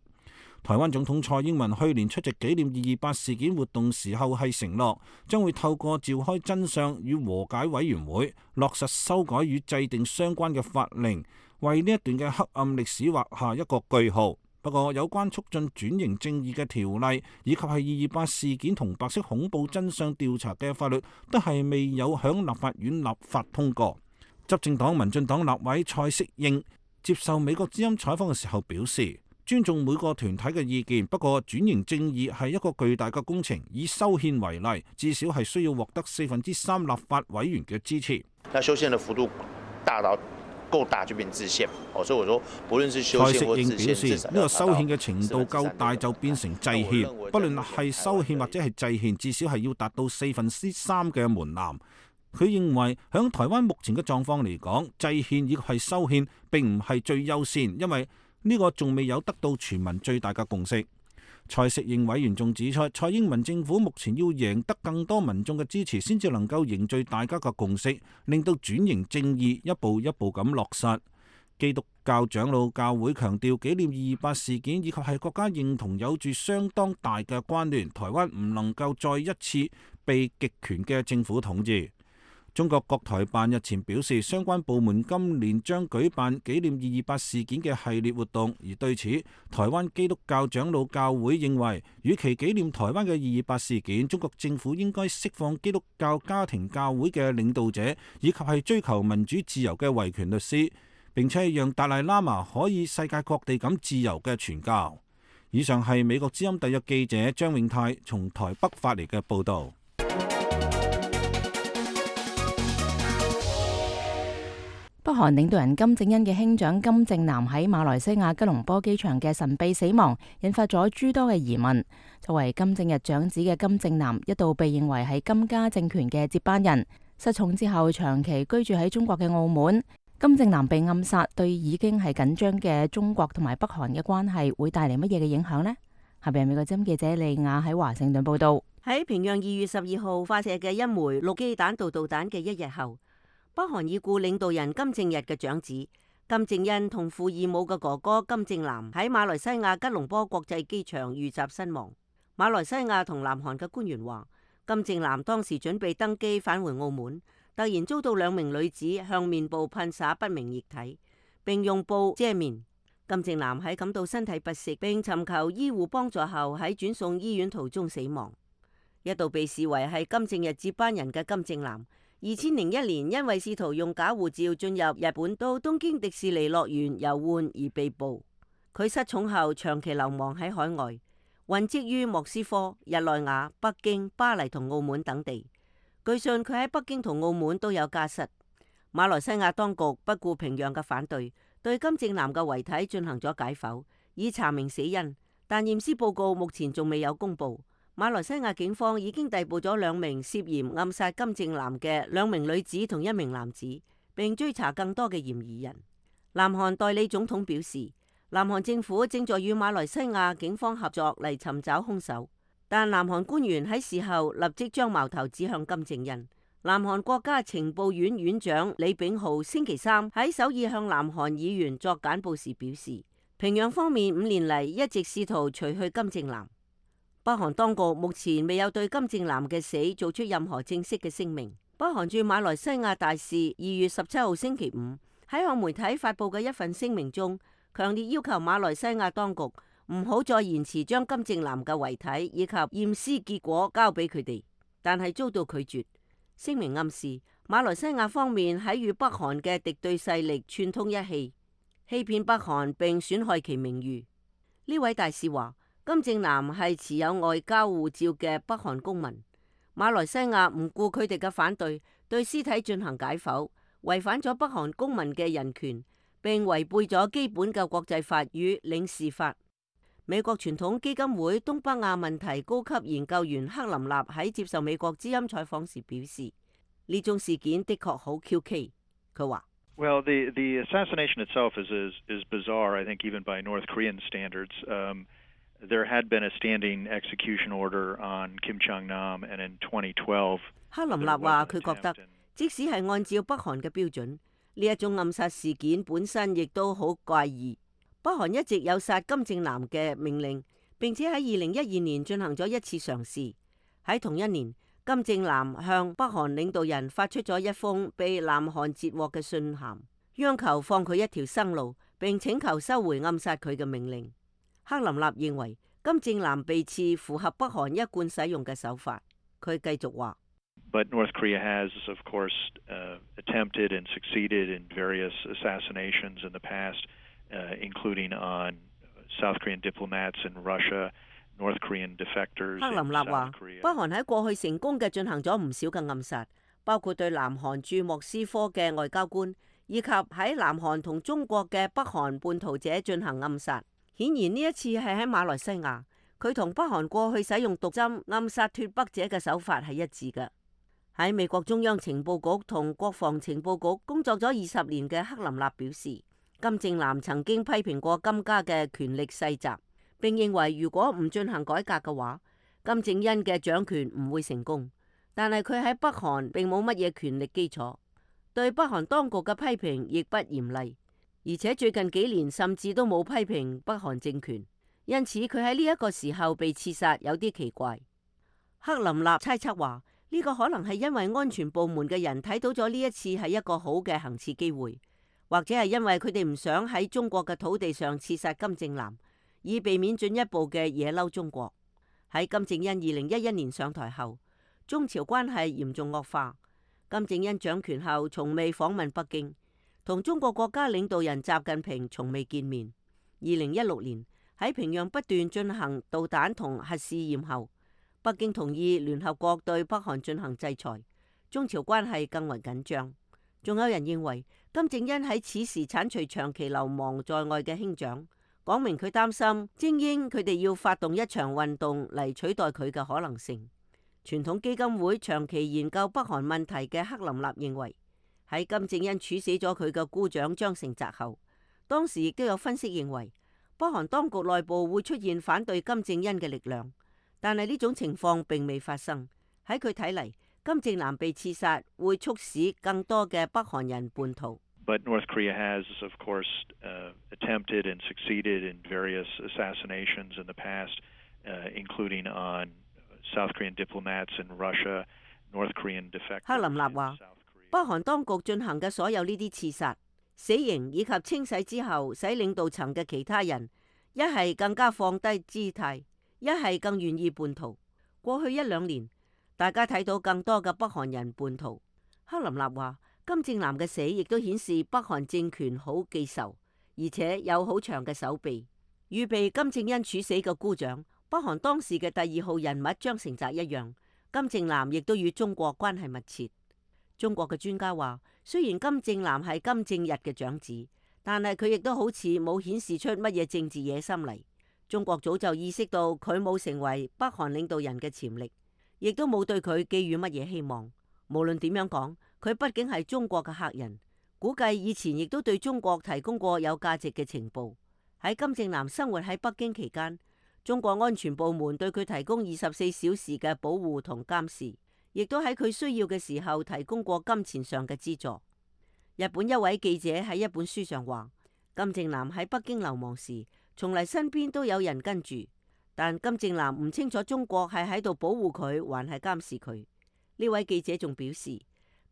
台灣總統蔡英文去年出席紀念二二八事件活動時候係承諾，將會透過召開真相與和解委員會，落實修改與制定相關嘅法令，為呢一段嘅黑暗歷史畫下一個句號。不過，有關促進轉型正義嘅條例，以及係二二八事件同白色恐怖真相調查嘅法律，都係未有響立法院立法通過。執政黨民進黨立委蔡適應接受美國之音採訪嘅時候表示，尊重每個團體嘅意見，不過轉型正義係一個巨大嘅工程。以修憲為例，至少係需要獲得四分之三立法委員嘅支持。那修憲嘅幅度大到夠大就變制憲，所以我說，無論是修憲或制憲，蔡適應表示，呢個修憲嘅程度夠大就變成制憲，不論係修憲或者係制憲，至少係要達到四分之三嘅門檻。佢認為響台灣目前嘅狀況嚟講，制憲以及係修憲並唔係最優先，因為呢個仲未有得到全民最大嘅共識。蔡適應委員仲指出，蔡英文政府目前要贏得更多民眾嘅支持，先至能夠凝聚大家嘅共識，令到轉型正義一步一步咁落實。基督教長老教會強調，紀念二二八事件以及係國家認同有住相當大嘅關聯，台灣唔能夠再一次被極權嘅政府統治。中國國台辦日前表示，相關部門今年將舉辦紀念二二八事件嘅系列活動，而對此，台灣基督教長老教會認為，與其紀念台灣嘅二二八事件，中國政府應該釋放基督教家庭教會嘅領導者，以及係追求民主自由嘅維權律師，並且讓達賴喇嘛可以世界各地咁自由嘅傳教。以上係美國之音特約記者張永泰從台北發嚟嘅報導。北韓領導人金正恩嘅兄長金正男喺馬來西亞吉隆坡機場嘅神秘死亡，引發咗諸多嘅疑問。作為金正日長子嘅金正男，一度被認為係金家政權嘅接班人。失寵之後，長期居住喺中國嘅澳門，金正男被暗殺，對已經係緊張嘅中國同埋北韓嘅關係會帶嚟乜嘢嘅影響呢？下邊美國之音記者利亞喺華盛頓報道。喺平壤二月十二號發射嘅一枚陸基彈道導彈嘅一日後，北韓已故領導人金正日嘅長子金正恩同父異母嘅哥哥金正男喺馬來西亞吉隆坡國際機場遇襲身亡。馬來西亞同南韓嘅官員話，金正男當時準備登機返回澳門，突然遭到兩名女子向面部噴灑不明液體，並用布遮面。金正男喺感到身體不適並尋求醫護幫助後，喺轉送醫院途中死亡。一度被視為係金正日接班人嘅金正男，二千零一年因為試圖用假護照進入日本到東京迪士尼樂園遊玩而被捕。佢失寵後長期流亡喺海外，混跡於莫斯科、日內瓦、北京、巴黎同澳門等地。據信佢喺北京同澳門都有家室。馬來西亞當局不顧平壤嘅反對，對金正男嘅遺體進行咗解剖，以查明死因，但驗屍報告目前仲未有公布。馬來西亞警方已經逮捕咗兩名涉嫌暗殺金正男嘅兩名女子同一名男子，並追查更多嘅嫌疑人。南韓代理總統表示，南韓政府正在與馬來西亞警方合作嚟尋找兇手，但南韓官員喺事後立即將矛頭指向金正恩。南韓國家情報院院長李炳浩星期三喺首爾向南韓議員作簡報時表示，平壤方面五年嚟一直試圖除去金正男。北韓當局目前未有對金正男嘅死做出任何正式嘅聲明。北韓駐馬來西亞大使二月十七號星期五喺向媒體發布嘅一份聲明中，強烈要求馬來西亞當局唔好再延遲將金正男嘅遺體以及驗屍結果交俾佢哋，但係遭到拒絕。聲明暗示馬來西亞方面喺與北韓嘅敵對勢力串通一氣，欺騙北韓並損害其名譽。呢位大使話，金正男係持有外交護照嘅北韓公民，馬來西亞唔顧佢哋嘅反對，對屍體進行解剖，違反咗北韓公民嘅人權，並違背咗基本嘅國際法與領事法。美國傳統基金會東北亞問題高級研究員克林納喺接受美國之音採訪時表示，呢種事件的確好蹊蹺。佢話：Well, the the assassination itself is is is bizarre. I think even by North Korean standards. Um, There had been a standing execution order on Kim Jong-nam, and in twenty twelve，克林納話佢覺得，即使係按照北韓嘅標準，呢一種暗殺事件本身亦都好怪異。北韓一直有殺金正男嘅命令，並且喺二零一二年進行咗一次嘗試。喺同一年，金正男向北韓領導人發出咗一封被南韓截獲嘅信函，央求放佢一條生路，並請求收回暗殺佢嘅命令。克林納認為金正男被刺符合北韓一貫使用嘅手法。佢繼續話 But North Korea has, of course, uh, attempted and succeeded in various assassinations in the past, uh, including on South Korean diplomats in Russia, North Korean defectors in South Korea. 克林納話，北韓喺過去成功嘅進行咗唔少嘅暗殺，包括對南韓駐莫斯科嘅外交官，以及喺南韓同中國嘅北韓叛逃者進行暗殺。顯然呢一次係喺馬來西亞，佢同北韓過去使用毒針暗殺脫北者嘅手法係一致嘅。喺美國中央情報局同國防情報局工作咗二十年嘅克林納表示，金正男曾經批評過金家嘅權力世襲，並認為如果唔進行改革嘅話，金正恩嘅掌權唔會成功。但係佢喺北韓並冇乜嘢權力基礎，對北韓當局嘅批評亦不嚴厲。而且最近幾年甚至都冇批評北韓政權，因此佢喺呢一個時候被刺殺有啲奇怪。克林納猜測話，呢個可能係因為安全部門嘅人睇到咗呢一次係一個好嘅行刺機會，或者係因為佢哋唔想喺中國嘅土地上刺殺金正男，以避免進一步嘅惹嬲中國。喺金正恩二零一一年上台後，中朝關係嚴重惡化。金正恩掌權後從未訪問北京，同中國國家領導人習近平從未見面。二零一六年喺平壤不斷進行導彈同核試驗後，北京同意聯合國對北韓進行制裁，中朝關係更為緊張。仲有人認為金正恩喺此時剷除長期流亡在外嘅兄長，講明佢擔心精英佢哋要發動一場運動嚟取代佢嘅可能性。傳統基金會長期研究北韓問題嘅克林納認為，喺金正恩處死咗佢嘅姑丈張成澤後，當時亦都有分析認為北韓當局內部會出現反對金正恩嘅力量，但係呢種情況並未發生。喺佢睇嚟，金正男被刺殺會促使更多嘅北韓人叛逃。But North Korea has, of course, uh, attempted and succeeded in various assassinations in the past, uh, including on South Korean diplomats in Russia, North Korean defectors. 克林納話，北韓當局進行嘅所有呢啲刺殺、死刑以及清洗之後，使領導層嘅其他人一係更加放低姿態，一係更願意叛逃。過去一兩年，大家睇到更多嘅北韓人叛逃。克林納話，金正男嘅死亦都顯示北韓政權好記仇，而且有好長嘅手臂。預備金正恩處死嘅姑丈，北韓當時嘅第二號人物張成澤一樣，金正男亦都與中國關係密切。中國嘅專家話，雖然金正男係金正日嘅長子，但係佢亦都好似冇顯示出乜嘢政治野心嚟。中國早就意識到佢冇成為北韓領導人嘅潛力，亦都冇對佢寄予乜嘢希望。無論點樣講，佢畢竟係中國嘅客人，估計以前亦都對中國提供過有價值嘅情報。喺金正男生活喺北京期間，中國安全部門對佢提供二十四小時嘅保護同監視，亦都喺佢需要嘅時候提供過金錢上嘅資助。日本一位記者喺一本書上話，金正男喺北京流亡時，從嚟身邊都有人跟住，但金正男唔清楚中國係喺度保護佢，還係監視佢。呢位記者仲表示，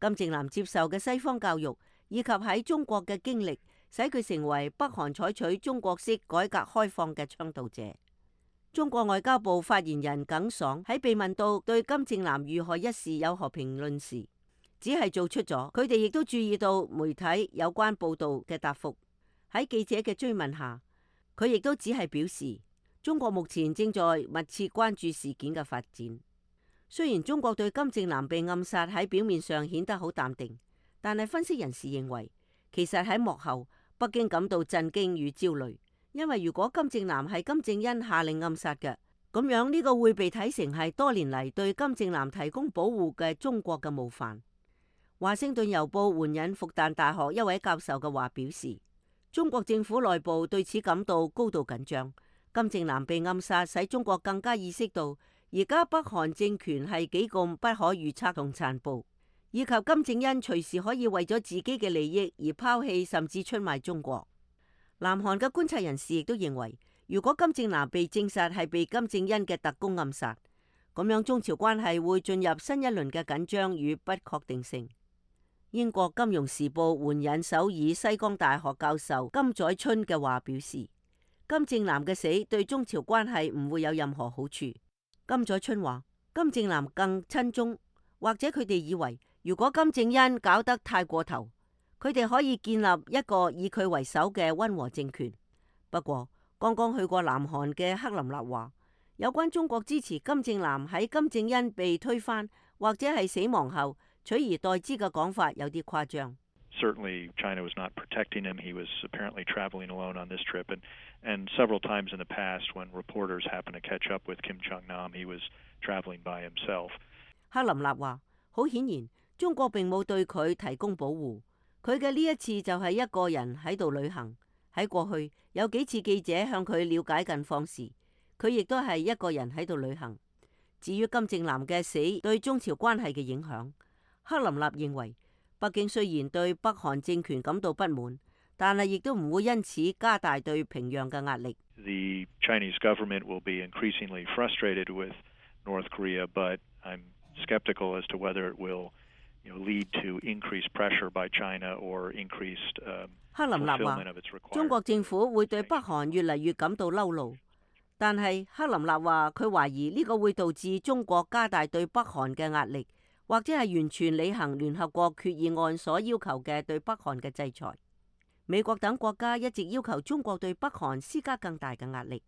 金正男接受嘅西方教育以及喺中國嘅經歷，使佢成為北韓採取中國式改革開放嘅倡導者。中國外交部發言人耿爽喺被問到對金正男遇害一事有何評論時，只係做出咗佢哋亦都注意到媒體有關報道嘅答覆。喺記者嘅追問下，佢亦都只係表示，中國目前正在密切關注事件嘅發展。雖然中國對金正男被暗殺喺表面上顯得好淡定，但係分析人士認為，其實喺幕後，北京感到震驚與焦慮，因為如果金正男係金正恩下令暗殺嘅，咁樣呢個會被睇成係多年嚟對金正男提供保護嘅中國嘅冒犯。華盛頓郵報援引復旦大學一位教授嘅話表示，中國政府內部對此感到高度緊張。金正男被暗殺，使中國更加意識到而家北韓政權係幾咁不可預測同殘暴，以及金正恩隨時可以為咗自己嘅利益而拋棄甚至出賣中國。南韓嘅觀察人士亦都認為，如果金正男被證實係被金正恩嘅特工暗殺，咁樣中朝關係會進入新一輪嘅緊張與不確定性。英國金融時報援引首爾西江大學教授金載春嘅話表示，金正男嘅死對中朝關係唔會有任何好處。金載春話，金正男更親中，或者佢哋以為，如果金正恩搞得太過頭，佢哋可以建立一個以佢為首嘅溫和政權。不過，剛剛去過南韓嘅克林納話，有關中國支持金正男喺金正恩被推翻或者係死亡後取而代之嘅講法有啲誇張。Certainly, China was not protecting him. He was apparently traveling alone on this trip. And, and several times in the past, when reporters happened to catch up with Kim Jong-nam, he was traveling by himself. 克林納話，好顯然，中國並冇對佢提供保護。佢嘅呢一次就係一個人喺度旅行。喺過去有幾次記者向佢了解近況時，佢亦都係一個人喺度旅行。至於金正男嘅死對中朝關係嘅影響，克林納認為，北京雖然對北韓政權感到不滿，但係亦都唔會因此加大對平壤嘅壓力。The Chinese government will be increasingly frustrated with North Korea, but I'm skeptical as to whether it will, you know, lead to increased pressure by China or increased um, 克林納話 fulfillment of its requirements. 中國政府會對北韓越嚟越感到嬲怒，但係克林納話佢懷疑呢個會導致中國加大對北韓嘅壓力，或者係完全履行聯合國決議案所要求嘅對北韓嘅制裁。美國等國家一直要求中國對北韓施加更大嘅壓力，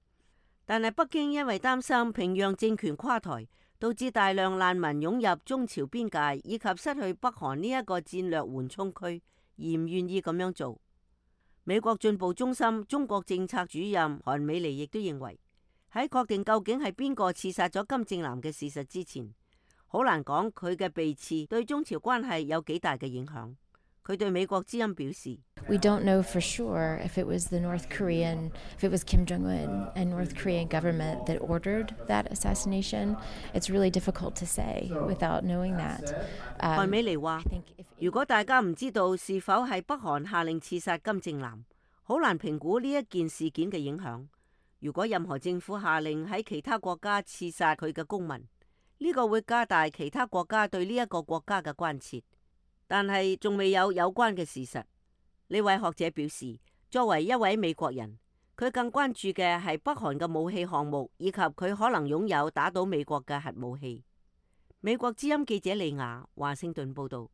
但係北京因為擔心平壤政權垮台，導致大量難民湧入中朝邊界，以及失去北韓呢一個戰略緩衝區，而唔願意咁樣做。美國進步中心中國政策主任韓美妮亦都認為，喺確定究竟係邊個刺殺咗金正男嘅事實之前，好難講佢嘅被刺對中朝關係有幾大嘅影響。佢對美國之音表示 We don't know for sure if it was the North Korean, if it was Kim Jong-un and North Korean government that ordered that assassination. It's really difficult to say without knowing that. 韓美妮話，如果大家唔知道是否係北韓下令刺殺金正男，好難評估呢一件事件嘅影響。如果任何政府下令喺其他國家刺殺佢嘅公民，呢個會加大其他國家對呢一個國家嘅關切。但係仲未有有關嘅事實。呢位學者表示，作為一位美國人，佢更關注嘅係北韓嘅武器項目，以及佢可能擁有打倒美國嘅核武器。美國之音記者李雅華盛頓報導。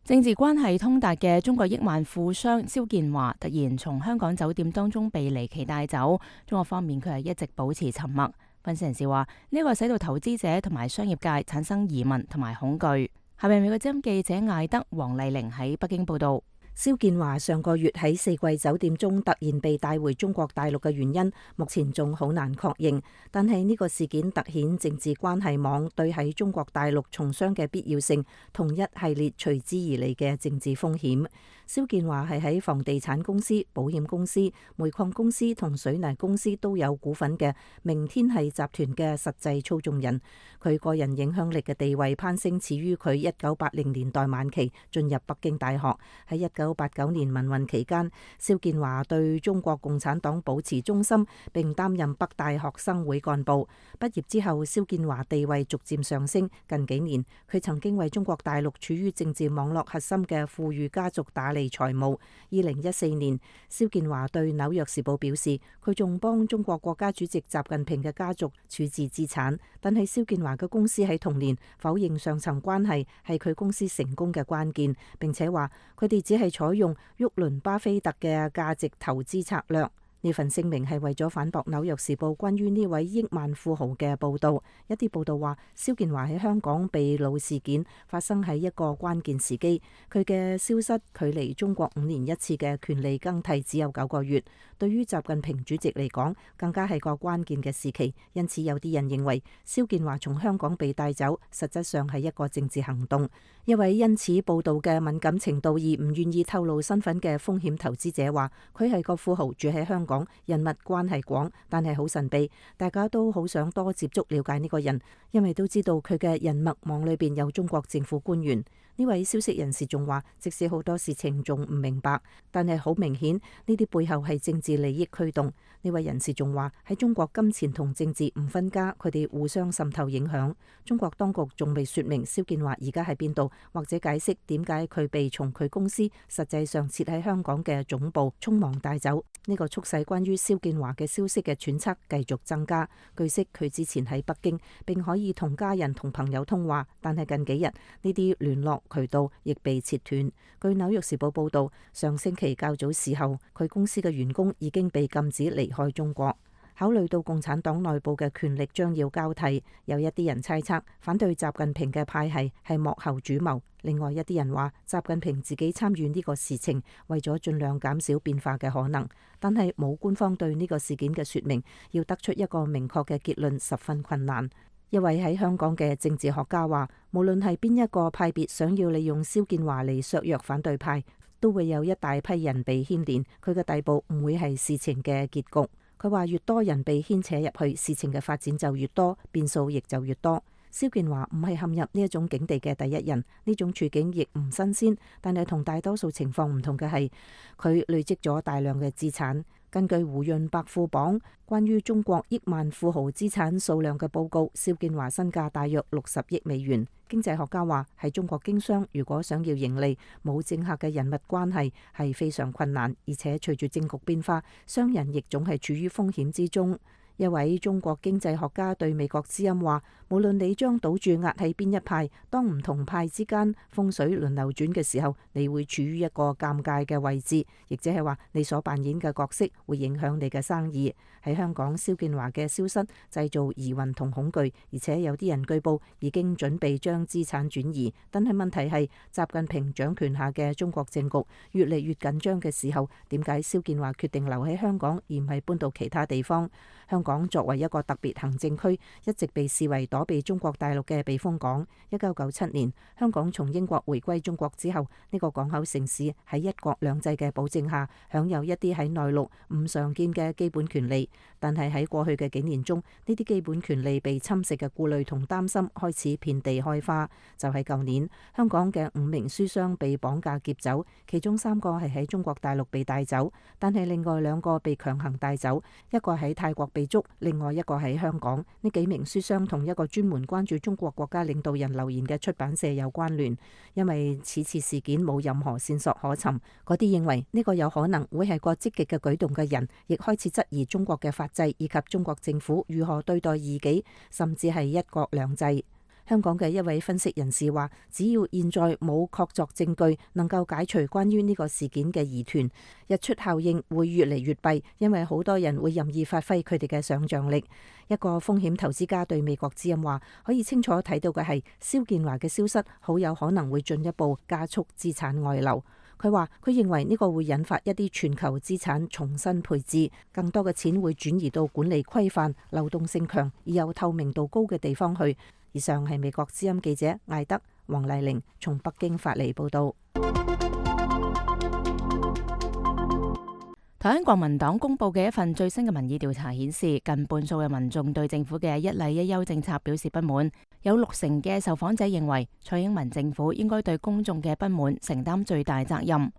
政治關係通達嘅中國億萬富商肖建華突然從香港酒店當中被離奇帶走，中國方面佢係一直保持沉默。分析人士話，呢、這個使到投資者同埋商業界產生疑問同埋恐懼。下面美國之音記者艾德黃麗玲喺北京報道。肖建華上個月喺四季酒店中突然被帶回中國大陸嘅原因，目前仲好難確認。但係呢個事件凸顯政治關係網對喺中國大陸從商嘅必要性，同一系列隨之而嚟嘅政治風險。肖建華係喺房地產公司、保險公司、煤礦公司同水泥公司都有股份嘅明天系集團嘅實際操縱人。佢個人影響力嘅地位攀升始於佢一九八零年代晚期進入北京大學。喺一九八九年民運期間，肖建華對中國共產黨保持忠心，並擔任北大學生會幹部。畢業之後，肖建華地位逐漸上升。近幾年，佢曾經為中國大陸處於政治網絡核心嘅富裕家族打理財務。二零一四年，肖建華對紐約時報表示，佢仲幫中國國家主席習近平嘅家族處置資產。但係肖建華嘅公司喺同年否認上層關係係佢公司成功嘅關鍵，並且話佢哋只係採用沃倫巴菲特嘅價值投資策略。呢份聲明係為咗反駁紐約時報關於呢位億萬富豪嘅報導。一啲報導話，肖建華喺香港被擄事件發生喺一個關鍵時機，佢嘅消失距離中國五年一次嘅權力更替只有九個月，對於習近平主席嚟講更加係個關鍵嘅時期。因此有啲人認為肖建華從香港被帶走，實質上係一個政治行動。一位因此報導嘅敏感程度而唔願意透露身份嘅風險投資者話，佢係個富豪，住喺香港，人脈關係廣，但係好神秘，大家都好想多接觸了解呢個人，因為都知道佢嘅人脈網裏邊有中國政府官員。呢位消息人士仲話，即使好多事情仲唔明白，但係好明顯呢啲背後係政治利益驅動。呢位人士仲話，喺中國金錢同政治唔分家，佢哋互相滲透影響。中國當局仲未說明肖建華而家喺邊度，或者解釋點解佢被從佢公司實際上設喺香港嘅總部匆忙帶走。呢個促使關於肖建華嘅消息嘅揣測繼續增加。據悉佢之前喺北京，並可以同家人同朋友通話，但係近幾日呢啲聯絡渠道亦被切斷。據紐約時報報道，上星期較早時候，佢公司嘅員工已經被禁止離開中國。考慮到共產黨內部嘅權力將要交替，有一啲人猜測反對習近平嘅派系係幕後主謀。另外一啲人話，習近平自己參與呢個事情，為咗盡量減少變化嘅可能。但係冇官方對呢個事件嘅說明，要得出一個明確嘅結論十分困難。一位喺香港嘅政治學家話，無論係邊一個派別想要利用肖建華嚟削弱反對派，都會有一大批人被牽連，佢嘅逮捕唔會係事情嘅結局。佢話越多人被牽扯入去，事情嘅發展就越多，變數亦就越多。蕭建華唔係陷入呢一種境地嘅第一人，呢種處境亦唔新鮮，但係同大多數情況唔同嘅係，佢累積咗大量嘅資產。根據胡潤百富榜關於中國億萬富豪資產數量嘅報告，蕭建華身價大約六十億美元。經濟學家話，喺中國經商如果想要盈利，冇政客嘅人物關係係非常困難，而且隨住政局變化，商人亦總係處於風險之中。一位中國經濟學家對美國之音話，無論你將賭注壓喺邊一派，當唔同派之間風水輪流轉嘅時候，你會處於一個尷尬嘅位置，亦即係話你所扮演嘅角色會影響你嘅生意。喺香港，蕭建華嘅消失製造疑雲同恐懼，而且有啲人據報已經準備將資產轉移。但係問題係，習近平掌權下嘅中國政局越嚟越緊張嘅時候，點解蕭建華決定留喺香港而唔係搬到其他地方？香港作為一個特別行政區，一直被視為躲避中國大陸嘅避風港。一九九七年，香港從英國回歸中國之後，呢個港口城市喺一國兩制嘅保證下，享有一啲喺內陸唔常見嘅基本權利。但係喺過去嘅幾年中，呢啲基本權利被侵蝕嘅顧慮同擔心開始遍地開花。就喺舊年，香港嘅五名書商被綁架劫走，其中三個係喺中國大陸被帶走，但係另外兩個被強行帶走，一個喺泰國被捉，另外一個喺香港。呢幾名書商同一個專門關注中國國家領導人留言嘅出版社有關聯，因為此次事件冇任何線索可尋。嗰啲認為呢個有可能會係個積極嘅舉動嘅人，亦開始質疑中國嘅法制以及中國政府如何對待異己，甚至係一國兩制。香港嘅一位分析人士話，只要現在冇確鑿證據能夠解除關於呢個事件嘅疑團，日出效應會越嚟越弊，因為好多人會任意發揮佢哋嘅想像力。一個風險投資家對美國之音話，可以清楚睇到嘅係，蕭建華嘅消失好有可能會進一步加速資產外流。佢話：佢認為呢個會引發一啲全球資產重新配置，更多嘅錢會轉移到管理規範、流動性強而又透明度高嘅地方去。以上係美國之音記者艾德黃麗玲從北京發嚟報導。台灣國民黨公佈嘅一份最新嘅民意調查顯示，近半數嘅民眾對政府嘅一例一休政策表示不滿，有六成嘅受訪者認為蔡英文政府應該對公眾嘅不滿承擔最大責任。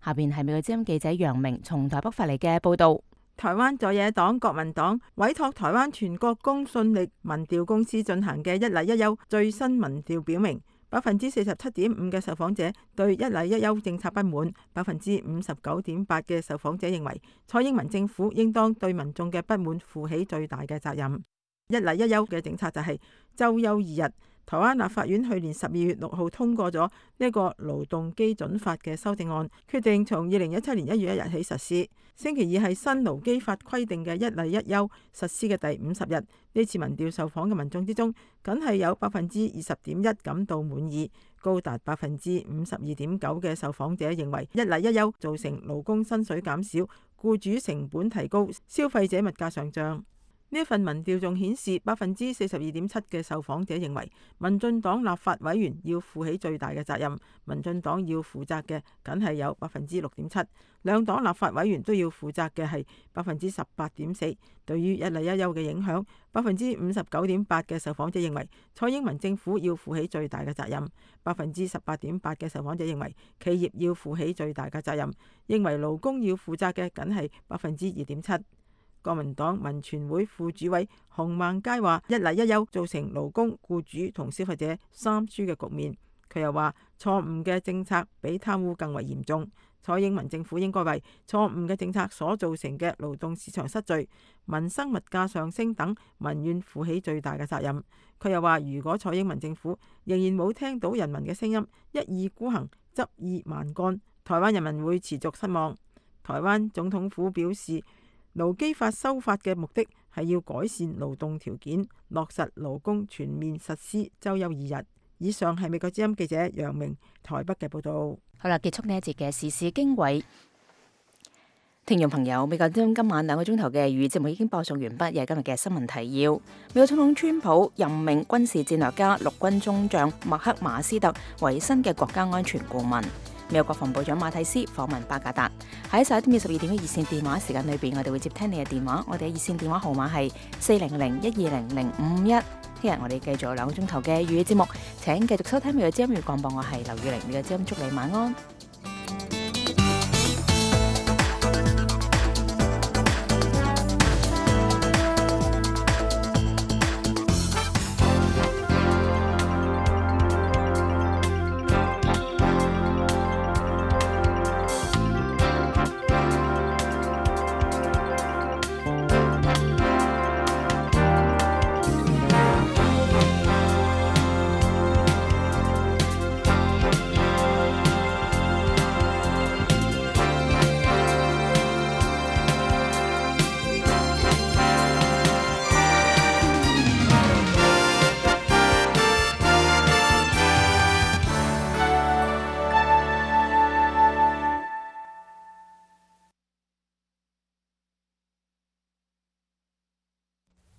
下邊係美國之音記者楊明從台北發嚟嘅報導。台灣在野黨國民黨委託台灣全國公信力民調公司進行嘅一例一休最新民調表明，百分之四十七點五嘅受訪者對一例一休政策不滿，百分之五十九點八嘅受訪者認為蔡英文政府應當對民眾嘅不滿負起最大嘅責任。一例一休嘅政策就係週休二日。台灣立法院去年十二月六號通過咗呢個勞動基準法嘅修正案，決定從二零一七年一月一日起實施。星期二係新勞基法規定嘅一例一休實施嘅第五十日。呢次民調受訪嘅民眾之中，僅係有百分之二十點一感到滿意，高達百分之五十二點九嘅受訪者認為一例一休造成勞工薪水減少、僱主成本提高、消費者物價上漲。呢一份民調仲顯示，百分之四十二點七嘅受訪者認為民進黨立法委員要負起最大嘅責任，民進黨要負責嘅僅係有百分之六點七，兩黨立法委員都要負責嘅係百分之十八點四。對於一例一休嘅影響，百分之五十九點八嘅受訪者認為蔡英文政府要負起最大嘅責任，百分之十八點八嘅受訪者認為企業要負起最大嘅責任，認為勞工要負責嘅僅係百分之二點七。國民黨民權會副主委洪孟佳話：一例一休造成勞工、僱主同消費者三輸嘅局面。佢又話：錯誤嘅政策比貪污更為嚴重。蔡英文政府應該為錯誤嘅政策所造成嘅勞動市場失序、民生物價上升等民怨負起最大嘅責任。佢又話：如果蔡英文政府仍然冇聽到人民嘅聲音，一意孤行、執意蠻幹，台灣人民會持續失望。台灣總統府表示，勞基法修法嘅目的係要改善勞動條件，落實勞工全面實施週休二日。以上係美國之音記者楊明台北嘅報道。好啦，結束呢一節嘅時事經緯。聽眾朋友，美國之音今晚兩個鐘頭嘅粵語節目已經播送完畢，又係今日嘅新聞提要。美國總統川普任命軍事戰略家陸軍中將麥克馬斯特為新嘅國家安全顧問。美國國防部長馬蒂斯訪問巴格達。喺十一點至十二點嘅熱線電話時間裏邊，我哋會接聽你嘅電話。我哋嘅熱線電話號碼係四零零一二零零五五一。聽日我哋繼續有兩個鐘頭嘅粵語節目，請繼續收聽美國之音粵語廣播，我係劉雨玲，美國之音祝你晚安。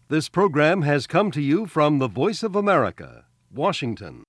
This program has come to you from the Voice of America, Washington.